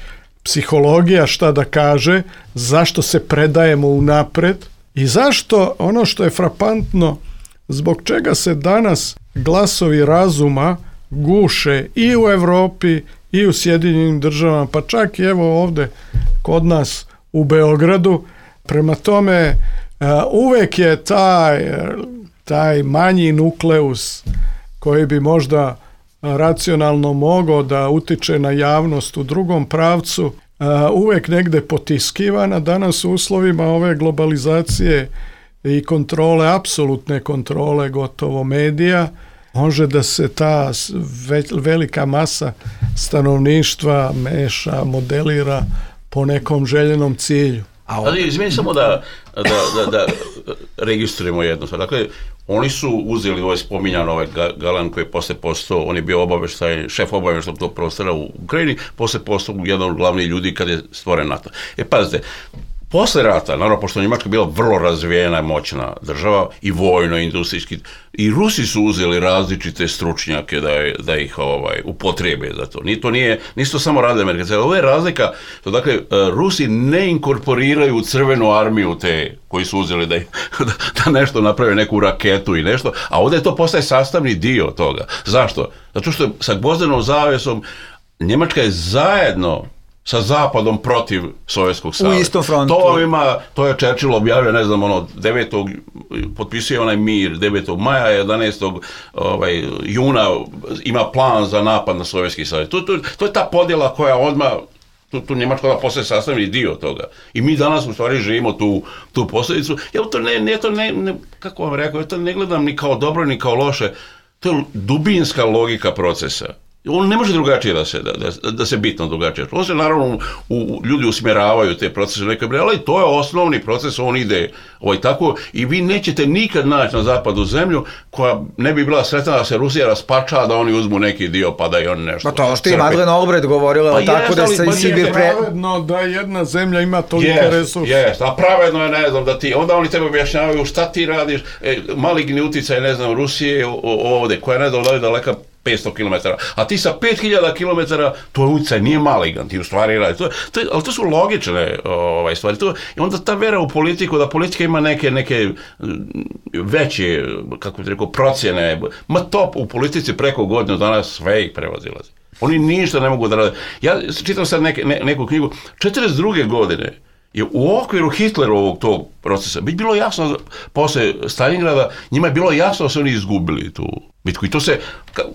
psihologija šta da kaže, zašto se predajemo unapred i zašto ono što je frapantno, zbog čega se danas glasovi razuma guše i u Evropi i u Sjedinjenim državama, pa čak i evo ovde kod nas u Beogradu. Prema tome, uvek je taj manji nukleus koji bi možda racionalno mogao da utiče na javnost u drugom pravcu, uvek negde potiskivan, a danas u uslovima ove globalizacije i kontrole, apsolutne kontrole gotovo medija, može da se ta velika masa stanovništva meša, modelira po nekom željenom cilju. Ali izmeni samo da registrujemo jedno. Dakle, oni su uzeli ovaj spominjan ovaj Galan koji je posle postao, on je bio šef obaveštajnog tog prostora u Ukrajini, posle postao jedan od glavnih ljudi kad je stvoren NATO. Pazite, Posle rata, naravno, pošto Njemačka bila vrlo razvijena, moćna država, i vojno, i industrijski, i Rusi su uzeli različite stručnjake da ih upotrebe za to. Nisu to samo radili Amerikanci. Ovo je razlika, to dakle, Rusi ne inkorporiraju u crvenu armiju te koji su uzeli da nešto naprave, neku raketu i nešto, a ovdje to postaje sastavni dio toga. Zašto? Zato što sa Gvozdenom zavesom Njemačka je zajedno sa Zapadom protiv Sovjetskog saveza. U istom frontu. To je Churchill objavio, ne znam, 9. potpisuje onaj mir, 9. maja, 11. juna ima plan za napad na Sovjetski savez. To je ta podjela koja odmah, tu Njemačka da postaje sastavni dio toga. I mi danas u stvari živimo tu posljedicu. Ja kako vam rekao, ja to ne gledam ni kao dobro, ni kao loše. To je dubinska logika procesa. On ne može drugačije da se bitno drugačije. On se naravno, ljudi usmjeravaju te procese, ali to je osnovni proces, on ide tako i vi nećete nikad naći na zapadu zemlju koja ne bi bila sretna da se Rusija raspača, da oni uzmu neki dio pa da i oni nešto. Pa to što je Madeleine Albright govorila, tako da se i Sibir pravedno da jedna zemlja ima toliko resursa. A pravedno je, ne znam, da ti, onda oni tebe objašnjavaju šta ti radiš, maligni uticaj, ne znam, Rusije ovdje, koja ne znam, daleka 500 km, a ti sa 5000 km, to je utjecaj, nije maligan, ti u stvari radi. Ali to su logične stvari. I onda ta vera u politiku, da politika ima neke veće, kako bih rekao, procjene, to u politici preko godinu dana sve ih prevazilazi. Oni ništa ne mogu da rade. Ja čitam sad neku knjigu, 42. godine je u okviru Hitlerovog tog procesa bilo jasno, posle Stalingrada, njima je bilo jasno da su oni izgubili tu bitku. I to se,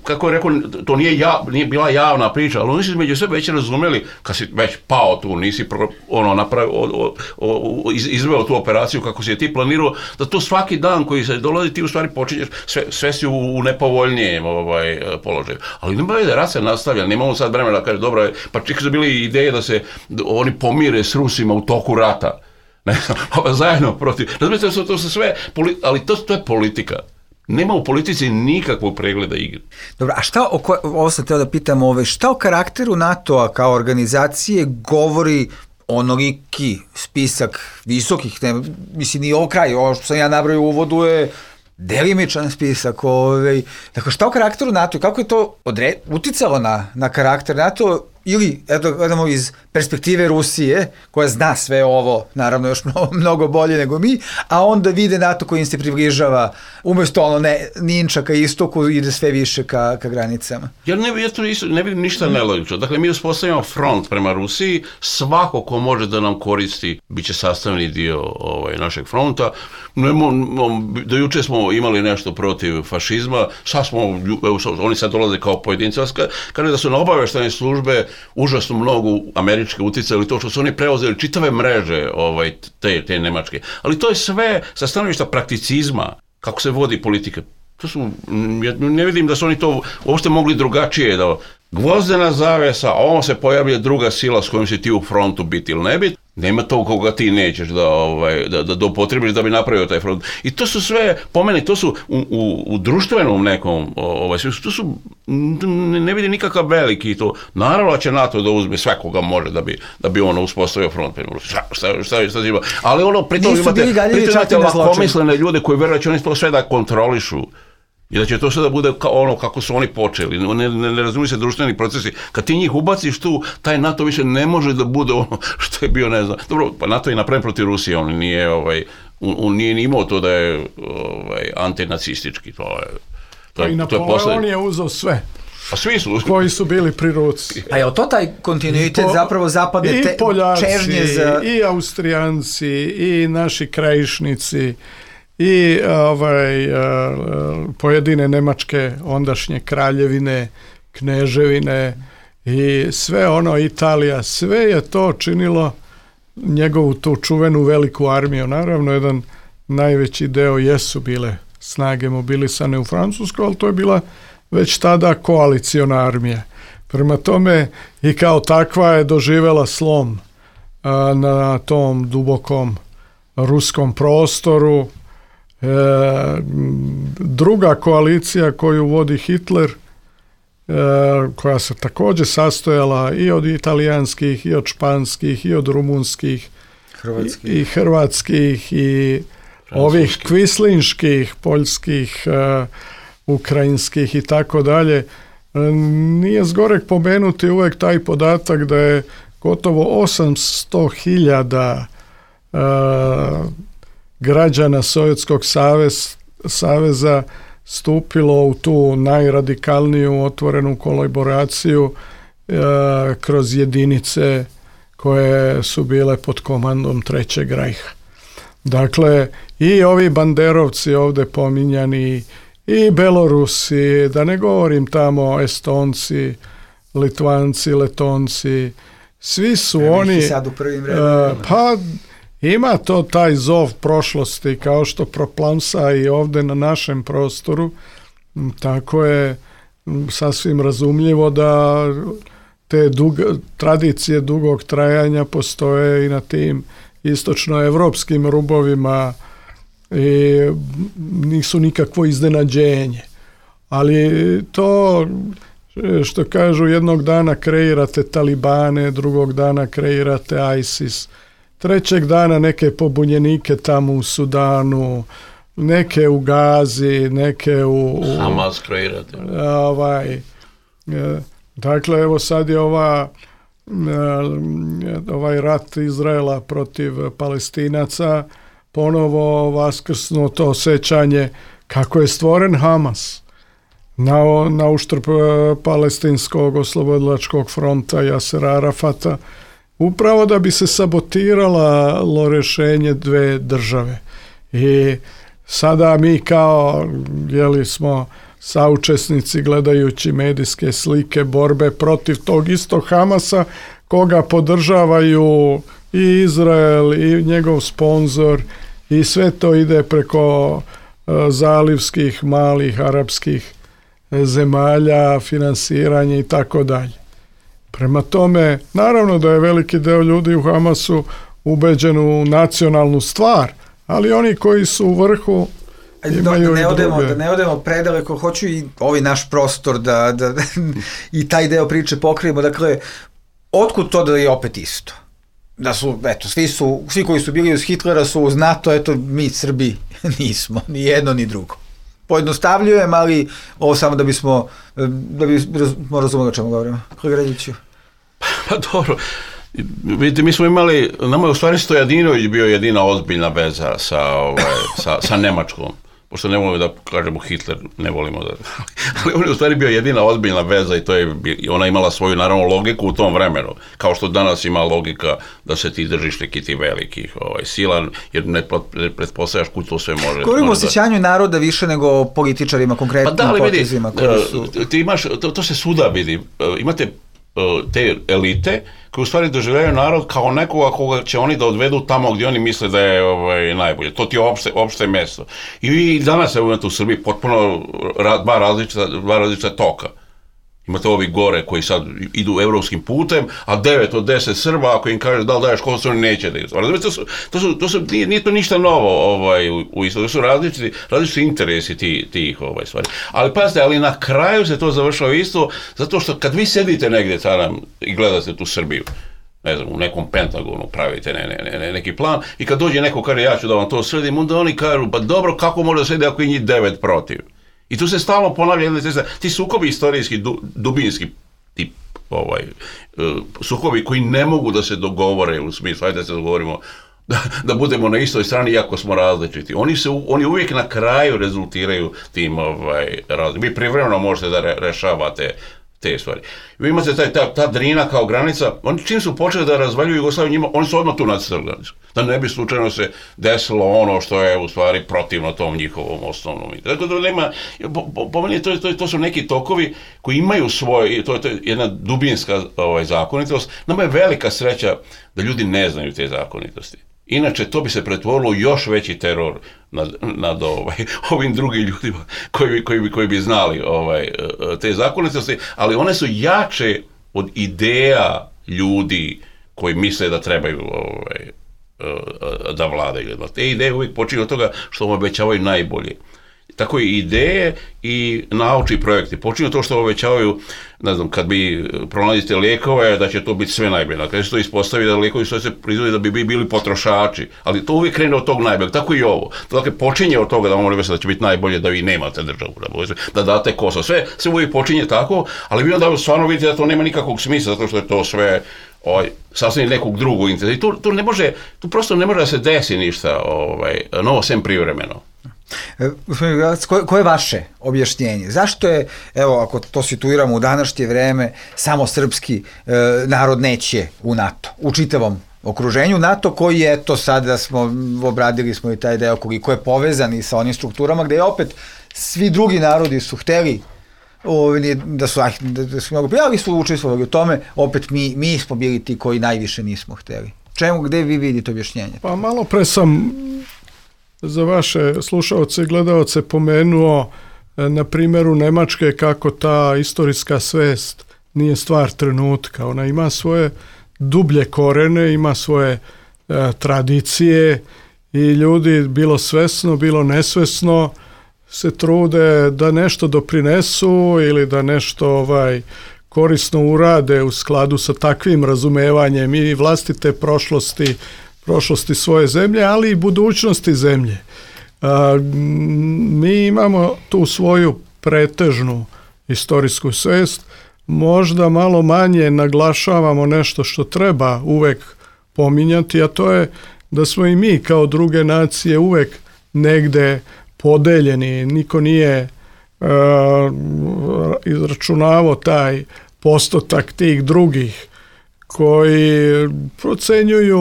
kako je rekao, to nije bila javna priča, ali oni su među sebe već razumeli, kad si već pao tu, nisi izveo tu operaciju kako si je ti planirao, da to svaki dan koji se dolazi ti u stvari počinješ, sve si u nepovoljnijem položaju. Ali nema da rat se nastavlja, nemamo sad vremena da kaže, dobro je, pa čak su bili ideje da se oni pomire s Rusima u toku rata. Ne znam, zajedno protiv. Razumijete, to su sve, ali to je politika. Nema u politici nikakvog pregleda igre. Dobro, a šta, ovo sam teo da pitam, šta o karakteru NATO-a kao organizacije govori onoliki spisak visokih, mislim, nije ovo kraj, ovo što sam ja nabrojio u uvodu je delimičan spisak. Dakle, šta o karakteru NATO, kako je to uticalo na karakter NATO, ili, eto, gledamo iz perspektive Rusije, koja zna sve ovo, naravno još mnogo bolje nego mi, a onda vide NATO koji im se približava, umjesto ninča ka istoku, ide sve više ka granicama. Ja ne vidim ništa nelogično. Dakle, mi uspostavljamo front prema Rusiji, svako ko može da nam koristi, bit će sastavni dio našeg fronta. Do juče smo imali nešto protiv fašizma, oni sad dolaze kao pojedinci, kaže da su na obaveštajne službe užasno mnogo američke uticali to što su oni preuzeli čitave mreže te nemačke. Ali to je sve sa stanovišta prakticizma, kako se vodi politika. Ne vidim da su oni to uopšte mogli drugačije. Gvozdena zavesa, a on se pojavlja druga sila s kojom si ti u frontu biti ili ne biti. Nema to koga ti nećeš da upotrebiš da bi napravio taj front. I to su sve, po meni, to su u društvenom nekom, to su, ne vidi nikakav veliki to. Naravno će NATO da uzme svakoga može da bi ono uspostavio front. Šta ima. Ali pritom imate lakomislene ljude koji veruju da će oni to sve da kontrolišu. I da će to sve da bude ono kako su oni počeli. Ne razumiju se društveni procesi. Kad ti njih ubaciš tu, taj NATO više ne može da bude ono što je bio, ne znam. Dobro, pa NATO je napravljen protiv Rusije, on nije ni imao to da je antinacistički. I Napoleon je uzeo sve. Pa svi su. Koji su bili pri ruci. A je to taj kontinuitet zapravo zapadne čežnje za... I Austrijanci, i naši krajišnici, i pojedine nemačke ondašnje kraljevine, kneževine i sve Italija, sve je to činilo njegovu tu čuvenu veliku armiju. Naravno, jedan najveći deo jesu bile snage mobilisane u Francusku, ali to je bila već tada koaliciona armija. Prema tome i kao takva je doživela slom na tom dubokom ruskom prostoru. Druga koalicija koju vodi Hitler, koja se također sastojala i od italijanskih, i od španskih, i od rumunskih, i hrvatskih i ovih kvislinških, poljskih, ukrajinskih i tako dalje. Nije zgorek pomenuti uvek taj podatak da je gotovo 800.000 građana Sovjetskog saveza stupilo u tu najradikalniju otvorenu kolaboraciju kroz jedinice koje su bile pod komandom Trećeg rajha. Dakle, i ovi banderovci ovdje pominjani, i Belorusi, da ne govorim tamo Estonci, Litvanci, Letonci, svi su oni... Sad u prvim redovima. Pa ima to taj zov prošlosti, kao što proplamsa i ovdje na našem prostoru, tako je sasvim razumljivo da te tradicije dugog trajanja postoje i na tim istočnoevropskim rubovima i nisu nikakvo iznenađenje. Ali to što kažu, jednog dana kreirate Talibane, drugog dana kreirate ISIS, trećeg dana neke pobunjenike tamo u Sudanu, neke u Gazi, neke u Hamas kreirate. Dakle, evo sad je ovaj rat Izraela protiv Palestinaca ponovo vaskrsnuo to osjećanje kako je stvoren Hamas na uštrb palestinskog oslobodilačkog fronta Jasera Arafata, upravo da bi se sabotiralo rješenje dve države. I sada mi kao smo saučesnici gledajući medijske slike borbe protiv tog istog Hamasa, koga podržavaju i Izrael i njegov sponzor, i sve to ide preko zalivskih malih arapskih zemalja, finansiranje i tako dalje. Prema tome, naravno da je veliki deo ljudi u Hamasu ubeđen u nacionalnu stvar, ali oni koji su u vrhu imaju da ne odemo predaleko, hoću i ovaj naš prostor da i taj deo priče pokrijemo. Dakle, otkud to da je opet isto? Da su, svi koji su bili uz Hitlera su uz NATO, mi Srbi nismo, ni jedno ni drugo. Pojednostavljujem, ali ovo samo da bismo razumeli o čemu govorimo. Hrgradiću. Pa dobro, vidite, mi smo imali, nama je u stvari Stojadinović bio jedina ozbiljna veza sa Nemačkom. Pošto ne volimo da kažemo Hitler, ne volimo da... Ali on je u stvari bio jedina ozbiljna veza i ona imala svoju, naravno, logiku u tom vremenu. Kao što danas ima logika da se ti držiš neki ti velikih sila, jer ne pretpostavljaš kud to sve može... Govorimo o osjećanju naroda više nego o političarima, konkretnim potezima koji su... Ti imaš, to se svuda vidi. Imate te elite koji u stvari doživljaju narod kao nekoga koga će oni da odvedu tamo gdje oni misle da je najbolje. To ti je opšte mesto. I danas imate u Srbiji potpuno dva različita toka. Imate ovi gore koji sad idu evropskim putem, a 9 od 10 Srba, ako im kažeš da li daješ kosu, oni neće da idu. Nije to ništa novo u isto. To su različiti interesi tih stvari. Ali pazite, ali na kraju se to završava isto, zato što kad vi sedite negdje i gledate tu Srbiju, ne znam, u nekom Pentagonu pravite neki plan, i kad dođe neko kaže ja ću da vam to sredim, onda oni kažu, pa dobro, kako može da sredi ako je njih 9 protiv? I tu se stalno ponavlja ti sukobi istorijski, dubinski tip, sukobi koji ne mogu da se dogovore u smislu, ajde da se dogovorimo da budemo na istoj strani iako smo različiti. Oni uvijek na kraju rezultiraju tim različitim. Vi privremeno možete da rešavate te stvari. Vi imate ta Drina kao granica, oni čim su počeli da razvaljuju Jugoslaviju, oni su odmah tu nacrtali granicu. Da ne bi slučajno se desilo ono što je u stvari protivno tom njihovom osnovnom. Tako da nema, po meni to su neki tokovi koji imaju svoj, to je jedna dubinska zakonitost. Nama je velika sreća da ljudi ne znaju te zakonitosti. Inače, to bi se pretvorilo u još veći teror nad ovim drugim ljudima koji bi znali te zakonitosti, ali one su jače od ideja ljudi koji misle da trebaju da vladaju. Te ideje uvijek počinju od toga što vam obećavaju najbolje. tako i ideje i naučni projekti. Počinju to što obećavaju, ne znam, kad bi pronalazite lijekove, da će to biti sve najbolje. Na kraju se to ispostavi da lijekovi što se proizvode da bi bili potrošači, ali to uvijek krene od tog najboljeg, tako i ovo. Dakle, počinje od toga da vam da će biti najbolje da vi nemate državu, da date Kosovo. Sve uvijek počinje tako, ali vi onda stvarno vidite da to nema nikakvog smisla, zato što je to sve sasvim nekog drugog interesa. I tu prosto ne može da se desi ništa novo sem privremeno. Koje je vaše objašnjenje? Zašto je, evo, ako to situiramo u današnje vreme, samo srpski narod neće u NATO, u čitavom okruženju NATO, koji je, eto, sada obradili smo i taj deo koliko je povezan i sa onim strukturama, gde je opet svi drugi narodi su hteli da su mnogo prijali, su učestvovali u tome, opet mi smo bili ti koji najviše nismo hteli. Gde vi vidite objašnjenje? Pa malo pre sam za vaše slušaoce i gledaoce pomenuo na primjeru Nemačke kako ta istorijska svest nije stvar trenutka. Ona ima svoje dublje korene, ima svoje tradicije i ljudi bilo svesno, bilo nesvesno se trude da nešto doprinesu ili da nešto korisno urade u skladu sa takvim razumevanjem i vlastite prošlosti svoje zemlje, ali i budućnosti zemlje. Mi imamo tu svoju pretežnu istorijsku svest, možda malo manje naglašavamo nešto što treba uvek pominjati, a to je da smo i mi kao druge nacije uvek negde podeljeni, niko nije izračunavao taj postotak tih drugih koji procenjuju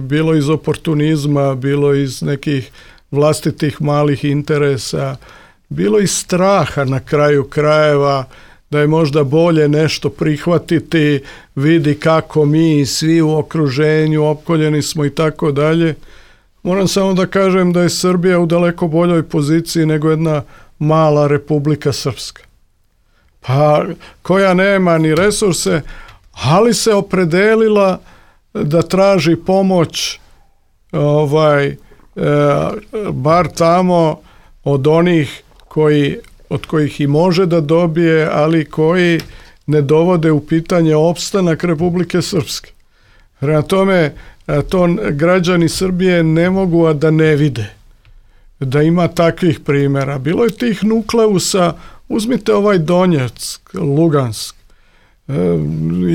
bilo iz oportunizma, bilo iz nekih vlastitih malih interesa, bilo iz straha na kraju krajeva, da je možda bolje nešto prihvatiti, vidi kako mi svi u okruženju opkoljeni smo i tako dalje. Moram samo da kažem da je Srbija u daleko boljoj poziciji nego jedna mala Republika Srpska. Pa koja nema ni resurse, ali se opredelila da traži pomoć bar tamo od onih od kojih i može da dobije, ali koji ne dovode u pitanje opstanak Republike Srpske. Prema tome, to građani Srbije ne mogu a da ne vide, da ima takvih primjera. Bilo je tih nukleusa, uzmite Donjeck, Lugansk,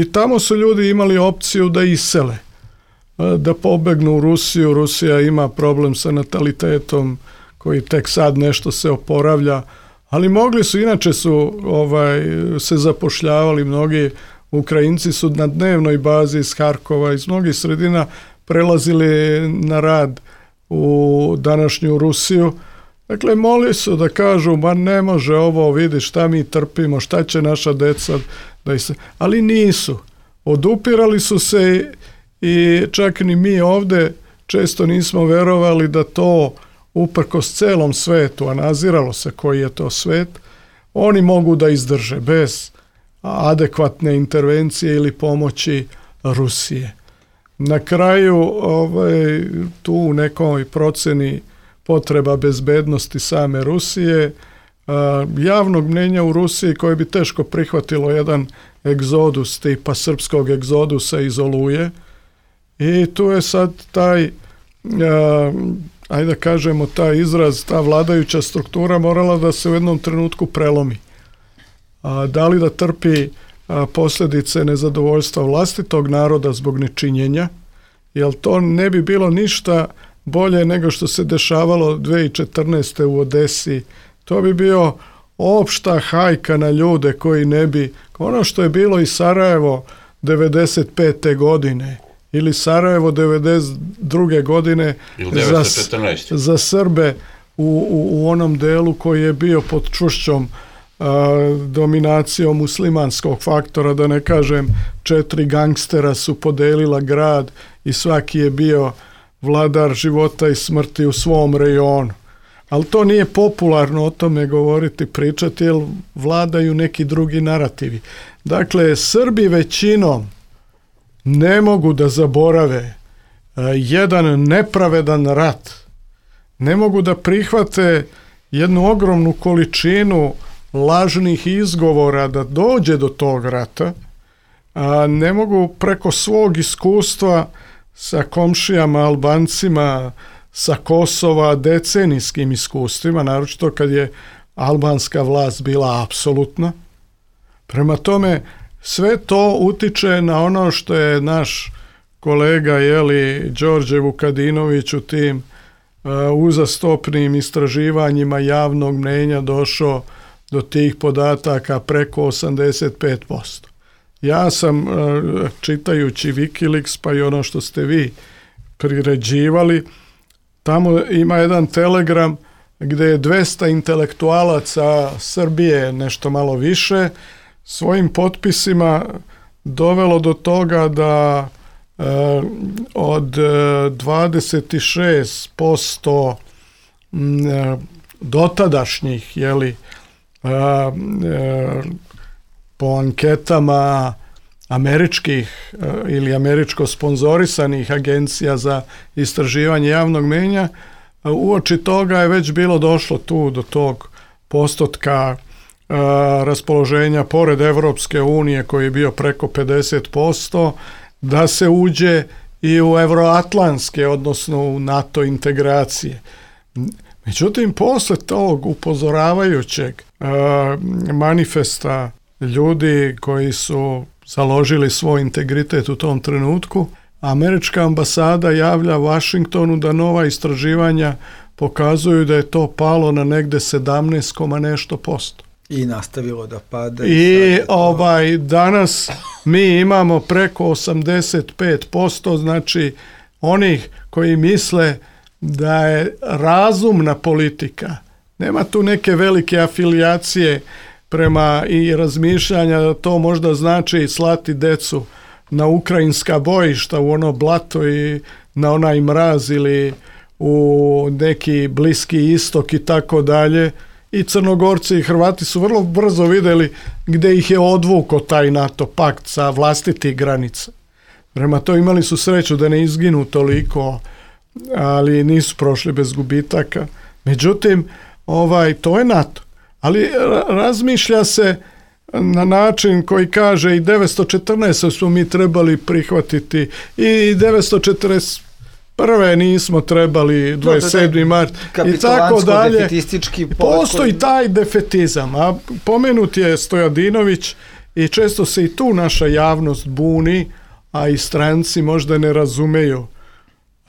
i tamo su ljudi imali opciju da isele, da pobegnu u Rusiju. Rusija ima problem sa natalitetom koji tek sad nešto se oporavlja, ali mogli su, inače su se zapošljavali, mnogi Ukrajinci su na dnevnoj bazi iz Harkova, iz mnogih sredina prelazili na rad u današnju Rusiju. Dakle, moli su da kažu, ma ne može ovo, vidi šta mi trpimo, šta će naša deca, ali nisu. Odupirali su se i čak ni mi ovde često nismo verovali da to uprkos celom svetu, a naziralo se koji je to svet, oni mogu da izdrže bez adekvatne intervencije ili pomoći Rusije. Na kraju tu u nekoj proceni potreba bezbednosti same Rusije, javnog mnjenja u Rusiji koje bi teško prihvatilo jedan egzodus tipa srpskog egzodusa iz Oluje, i tu je sad taj ajde da kažemo taj izraz, ta vladajuća struktura morala da se u jednom trenutku prelomi. Da li da trpi posljedice nezadovoljstva vlastitog naroda zbog nečinjenja, jer to ne bi bilo ništa bolje nego što se dešavalo 2014. u Odesi. To bi bio opšta hajka na ljude koji ne bi, ono što je bilo i Sarajevo 95. godine, ili Sarajevo 92. godine za Srbe u onom delu koji je bio pod čušćom dominacijom muslimanskog faktora, da ne kažem 4 gangstera su podelila grad i svaki je bio vladar života i smrti u svom rejonu. Ali to nije popularno o tome govoriti, pričati, jer vladaju neki drugi narativi. Dakle, Srbi većinom ne mogu da zaborave jedan nepravedan rat. Ne mogu da prihvate jednu ogromnu količinu lažnih izgovora da dođe do tog rata, a ne mogu preko svog iskustva sa komšijama, Albancima, sa Kosova, decenijskim iskustvima, naročito kad je albanska vlast bila apsolutna. Prema tome, sve to utiče na ono što je naš kolega Đorđe Vukadinović u tim uzastopnim istraživanjima javnog mnenja došao do tih podataka preko 85%. Ja sam, čitajući Wikileaks, pa i ono što ste vi priređivali, tamo ima jedan telegram gdje je 200 intelektualaca Srbije, nešto malo više, svojim potpisima dovelo do toga da od 26% dotadašnjih, po anketama američkih ili američko sponzorisanih agencija za istraživanje javnog mnjenja, uoči toga je već bilo došlo tu do tog postotka raspoloženja pored Evropske unije koji je bio preko 50%, da se uđe i u euroatlantske, odnosno u NATO integracije. Međutim, posle tog upozoravajućeg manifesta ljudi koji su založili svoj integritet u tom trenutku, američka ambasada javlja Vašingtonu da nova istraživanja pokazuju da je to palo na negde 17, nešto posto. I nastavilo da pada. I danas mi imamo preko 85%, znači onih koji misle da je razumna politika. Nema tu neke velike afilijacije prema i razmišljanja da to možda znači slati decu na ukrajinska bojišta, u ono blato i na onaj mraz ili u neki Bliski istok i tako dalje. I Crnogorci i Hrvati su vrlo brzo vidjeli gdje ih je odvukao taj NATO pakt sa vlastitih granica. Prema to imali su sreću da ne izginu toliko, ali nisu prošli bez gubitaka. Međutim, to je NATO. Ali razmišlja se na način koji kaže i 914 smo mi trebali prihvatiti i 941 nismo trebali 27. mart i tako dalje. Postoji taj defetizam, a pomenut je Stojadinović i često se i tu naša javnost buni, a i stranci možda ne razumeju.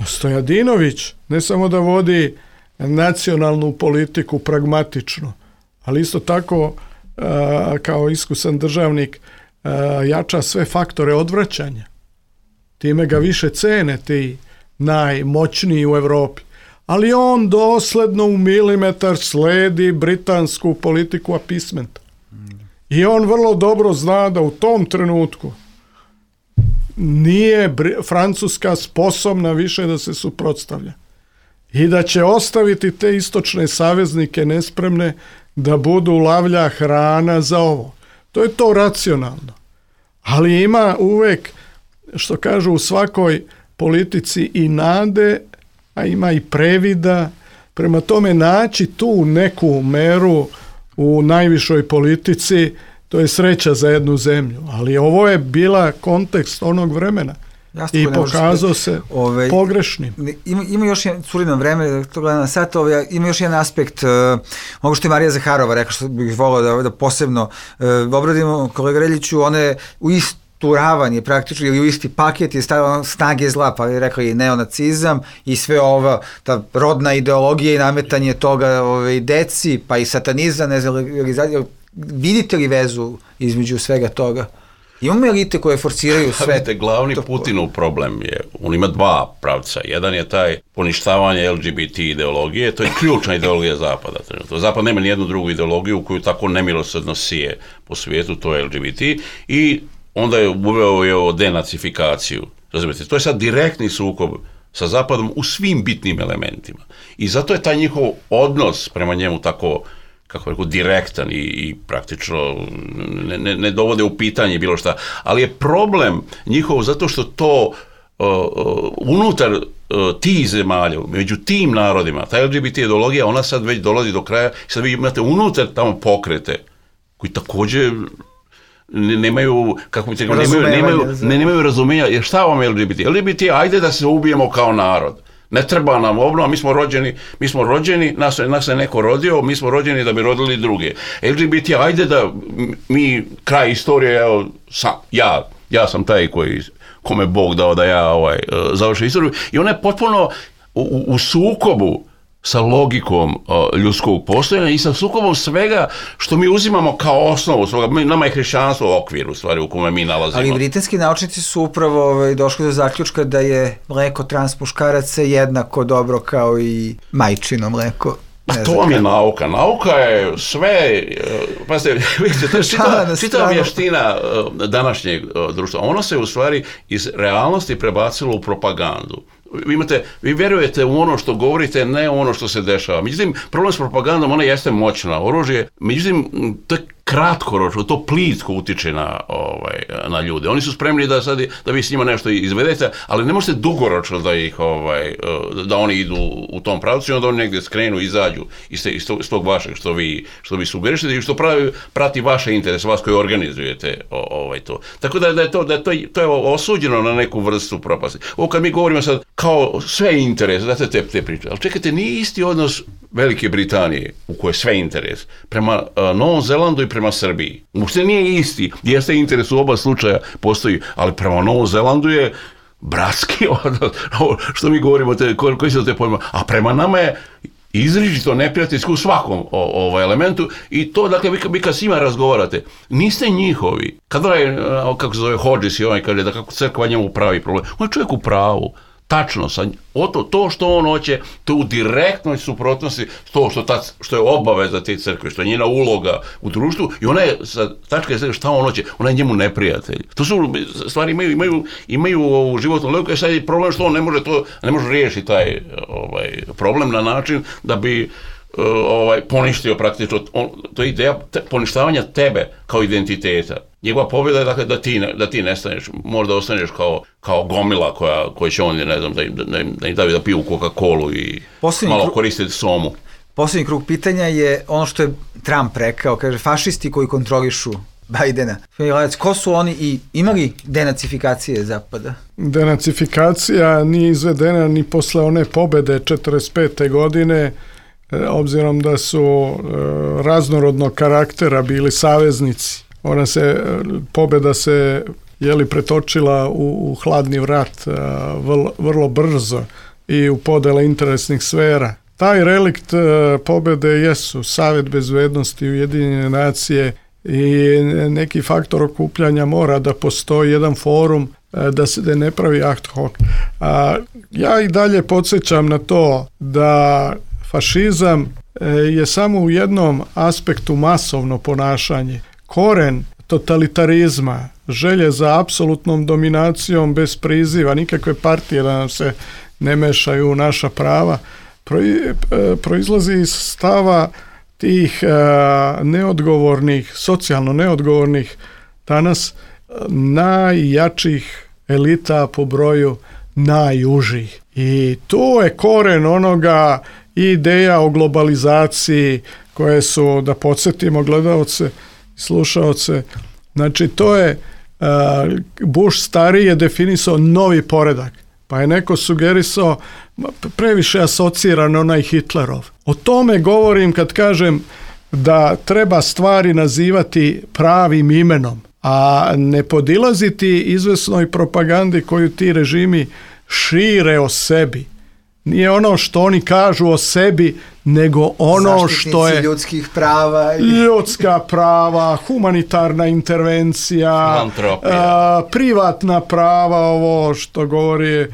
Stojadinović ne samo da vodi nacionalnu politiku pragmatično, ali isto tako kao iskusan državnik jača sve faktore odvraćanja. Time ga više cene ti najmoćniji u Europi. Ali on dosledno u milimetar sledi britansku politiku appeasementa. I on vrlo dobro zna da u tom trenutku nije Francuska sposobna više da se suprotstavlja. I da će ostaviti te istočne saveznike nespremne da budu lavlja hrana za ovo. To je to racionalno. Ali ima uvek, što kažu u svakoj politici, i nade, a ima i previda. Prema tome naći tu neku meru u najvišoj politici, to je sreća za jednu zemlju. Ali ovo je bila kontekst onog vremena. I pokazao se pogrešnim. Ima još jedan, curi nam vreme, to gledam na sat, ima još jedan aspekt, mogu što je Marija Zaharova rekla, što bih volao da posebno obradimo, kolega Reljiću, ona je u istu ravan je praktično, ili u isti paket je stavila snage zla, pa je rekla i neonacizam i sve ova, ta rodna ideologija i nametanje toga deci, pa i satanizam, ne znam, vidite li vezu između svega toga? Imamo elite koje forsiraju sve. Vidite, glavni Putinov problem je, on ima dva pravca. Jedan je taj poništavanje LGBT ideologije, to je ključna ideologija Zapada. Zapad nema nijednu drugu ideologiju koju tako nemilosrdno sije po svijetu, to je LGBT, i onda je uveo denacifikaciju. Razumijete, to je sad direktni sukob sa Zapadom u svim bitnim elementima. I zato je taj njihov odnos prema njemu tako, kako rekao, direktan i praktično ne dovode u pitanje bilo šta. Ali je problem njihov zato što to unutar tih zemalja, među tim narodima, ta LGBT ideologija, ona sad već dolazi do kraja, sad vi imate unutar tamo pokrete, koji također nemaju, kako bi rekao, nemaju razumijenja, jer šta vam je LGBT? LGBT, ajde da se ubijemo kao narod. Ne treba nam obnova, mi smo rođeni, nas je neko rodio, mi smo rođeni da bi rodili druge. LGBT, ajde da mi, kraj istorije, evo, ja sam taj kome Bog dao da ja završim istoriju, i ona je potpuno u sukobu sa logikom ljudskog postojanja i sa sukobom svega što mi uzimamo kao osnovu svoga. Nama je hrišćanstvo okvir u stvari u kome mi nalazimo. Ali britanski naučnici su upravo došli do zaključka da je mleko trans muškaraca jednako dobro kao i majčino mleko. To vam je nauka. Nauka je sve, pazite, vidite, to je čitava vještina današnjeg društva. Ono se u stvari iz realnosti prebacilo u propagandu. Vi vjerujete u ono što govorite, ne u ono što se dešava. Međutim, problem s propagandom, ona jeste moćna oružje, međutim, to je kratkoročno, to plitko utiče na ljude. Oni su spremni da vi s njima nešto izvedete, ali ne možete dugoročno da oni idu u tom pravcu i onda oni negdje skrenu, izađu iz tog vašeg što vi sugerišete i što prati vaše interese, vas koji organizujete to. Tako da je to je osuđeno na neku vrstu propasti. Ovo kad mi govorimo sad kao sve interese, znate te priče, ali čekajte, nije isti odnos Velike Britanije, u kojoj je sve interes, prema Novom Zelandu i prema Srbiji. Uopšte nije isti, jeste interes u oba slučaja postoji, ali prema Novom Zelandu je bratski odnos, što mi govorimo, koji su te pojma, a prema nama je izričito neprijateljski u svakom elementu i to, dakle, vi kad s njima razgovarate, niste njihovi. Kad kako se zove Hodges i on kaže da kako crkva njemu pravi problem, on je čovjek u pravu. Tačno, to što on hoće, to u direktnoj suprotnosti to što je obaveza te crkve, što je njena uloga u društvu i ona je, sa tačke šta on hoće, ona je njemu neprijatelj. To su stvari imaju životnu logiku, sad je problem što on ne može riješiti taj problem na način da bi poništio praktično, to je ideja poništavanja tebe kao identiteta. Njegova pobjeda je dakle da ti nestaneš, možda ostaneš kao gomila koja će oni, ne znam, da im davi da piju Coca-Colu i malo koristiti somu. Posljednji krug pitanja je ono što je Trump rekao, kaže fašisti koji kontrolišu Bajdena. Ko su oni i imali denacifikacije Zapada? Denacifikacija nije izvedena ni posle one pobjede 1945. godine, obzirom da su raznorodnog karaktera bili saveznici. Pobjeda se pretočila u hladni rat vrlo brzo i u podele interesnih sfera. Taj relikt pobjede jesu Savjet bezbednosti, Ujedinjene nacije i neki faktor okupljanja mora da postoji jedan forum da se ne pravi ad hoc. Ja i dalje podsjećam na to da fašizam je samo u jednom aspektu masovno ponašanje. Koren totalitarizma, želje za apsolutnom dominacijom bez priziva, nikakve partije da nam se ne mešaju u naša prava, proizlazi iz stava tih neodgovornih, socijalno neodgovornih danas najjačih elita po broju najužih. I to je koren onoga ideja o globalizaciji koje su, da podsjetimo gledalce i slušaoce, znači to je Bush stariji je definisao novi poredak, pa je neko sugerisao previše asociran onaj Hitlerov. O tome govorim kad kažem da treba stvari nazivati pravim imenom, a ne podilaziti izvesnoj propagandi koju ti režimi šire o sebi. Nije ono što oni kažu o sebi, nego ono što je ljudskih prava ljudska prava, humanitarna intervencija, privatna prava, ovo što govori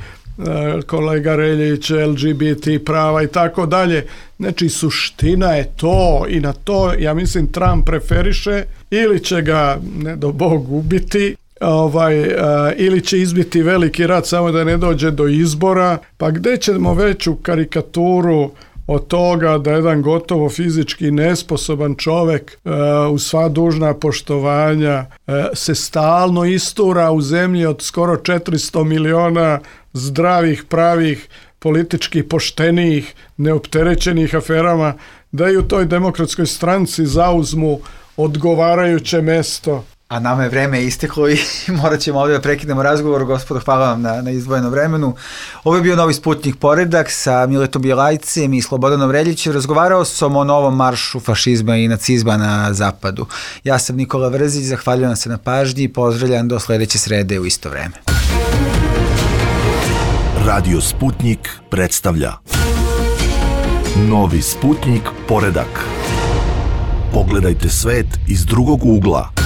kolega Reljić, LGBT prava i tako dalje. Znači, suština je to i na to, ja mislim, Trump preferiše ili će ga, ne do Bog, ubiti, ili će izbiti veliki rat samo da ne dođe do izbora, pa gde ćemo veću karikaturu od toga da jedan gotovo fizički nesposoban čovek uz sva dužna poštovanja se stalno istura u zemlji od skoro 400 miliona zdravih, pravih, politički poštenih, neopterećenih aferama, da i u toj Demokratskoj stranci zauzmu odgovarajuće mesto. A nama je vreme isteklo i morat ćemo ovdje da prekinemo razgovor. Gospodo, hvala vam na izdvojenom vremenu. Ovo je bio Novi Sputnjik Poredak sa Miletom Bjelajcem i Slobodanom Reljićem. Razgovarao sam o novom maršu fašizma i nacizma na zapadu. Ja sam Nikola Vrzić, zahvaljujem se na pažnji i pozdravljam do sledeće srede u isto vreme. Radio Sputnjik predstavlja Novi Sputnjik Poredak. Pogledajte svet iz drugog ugla.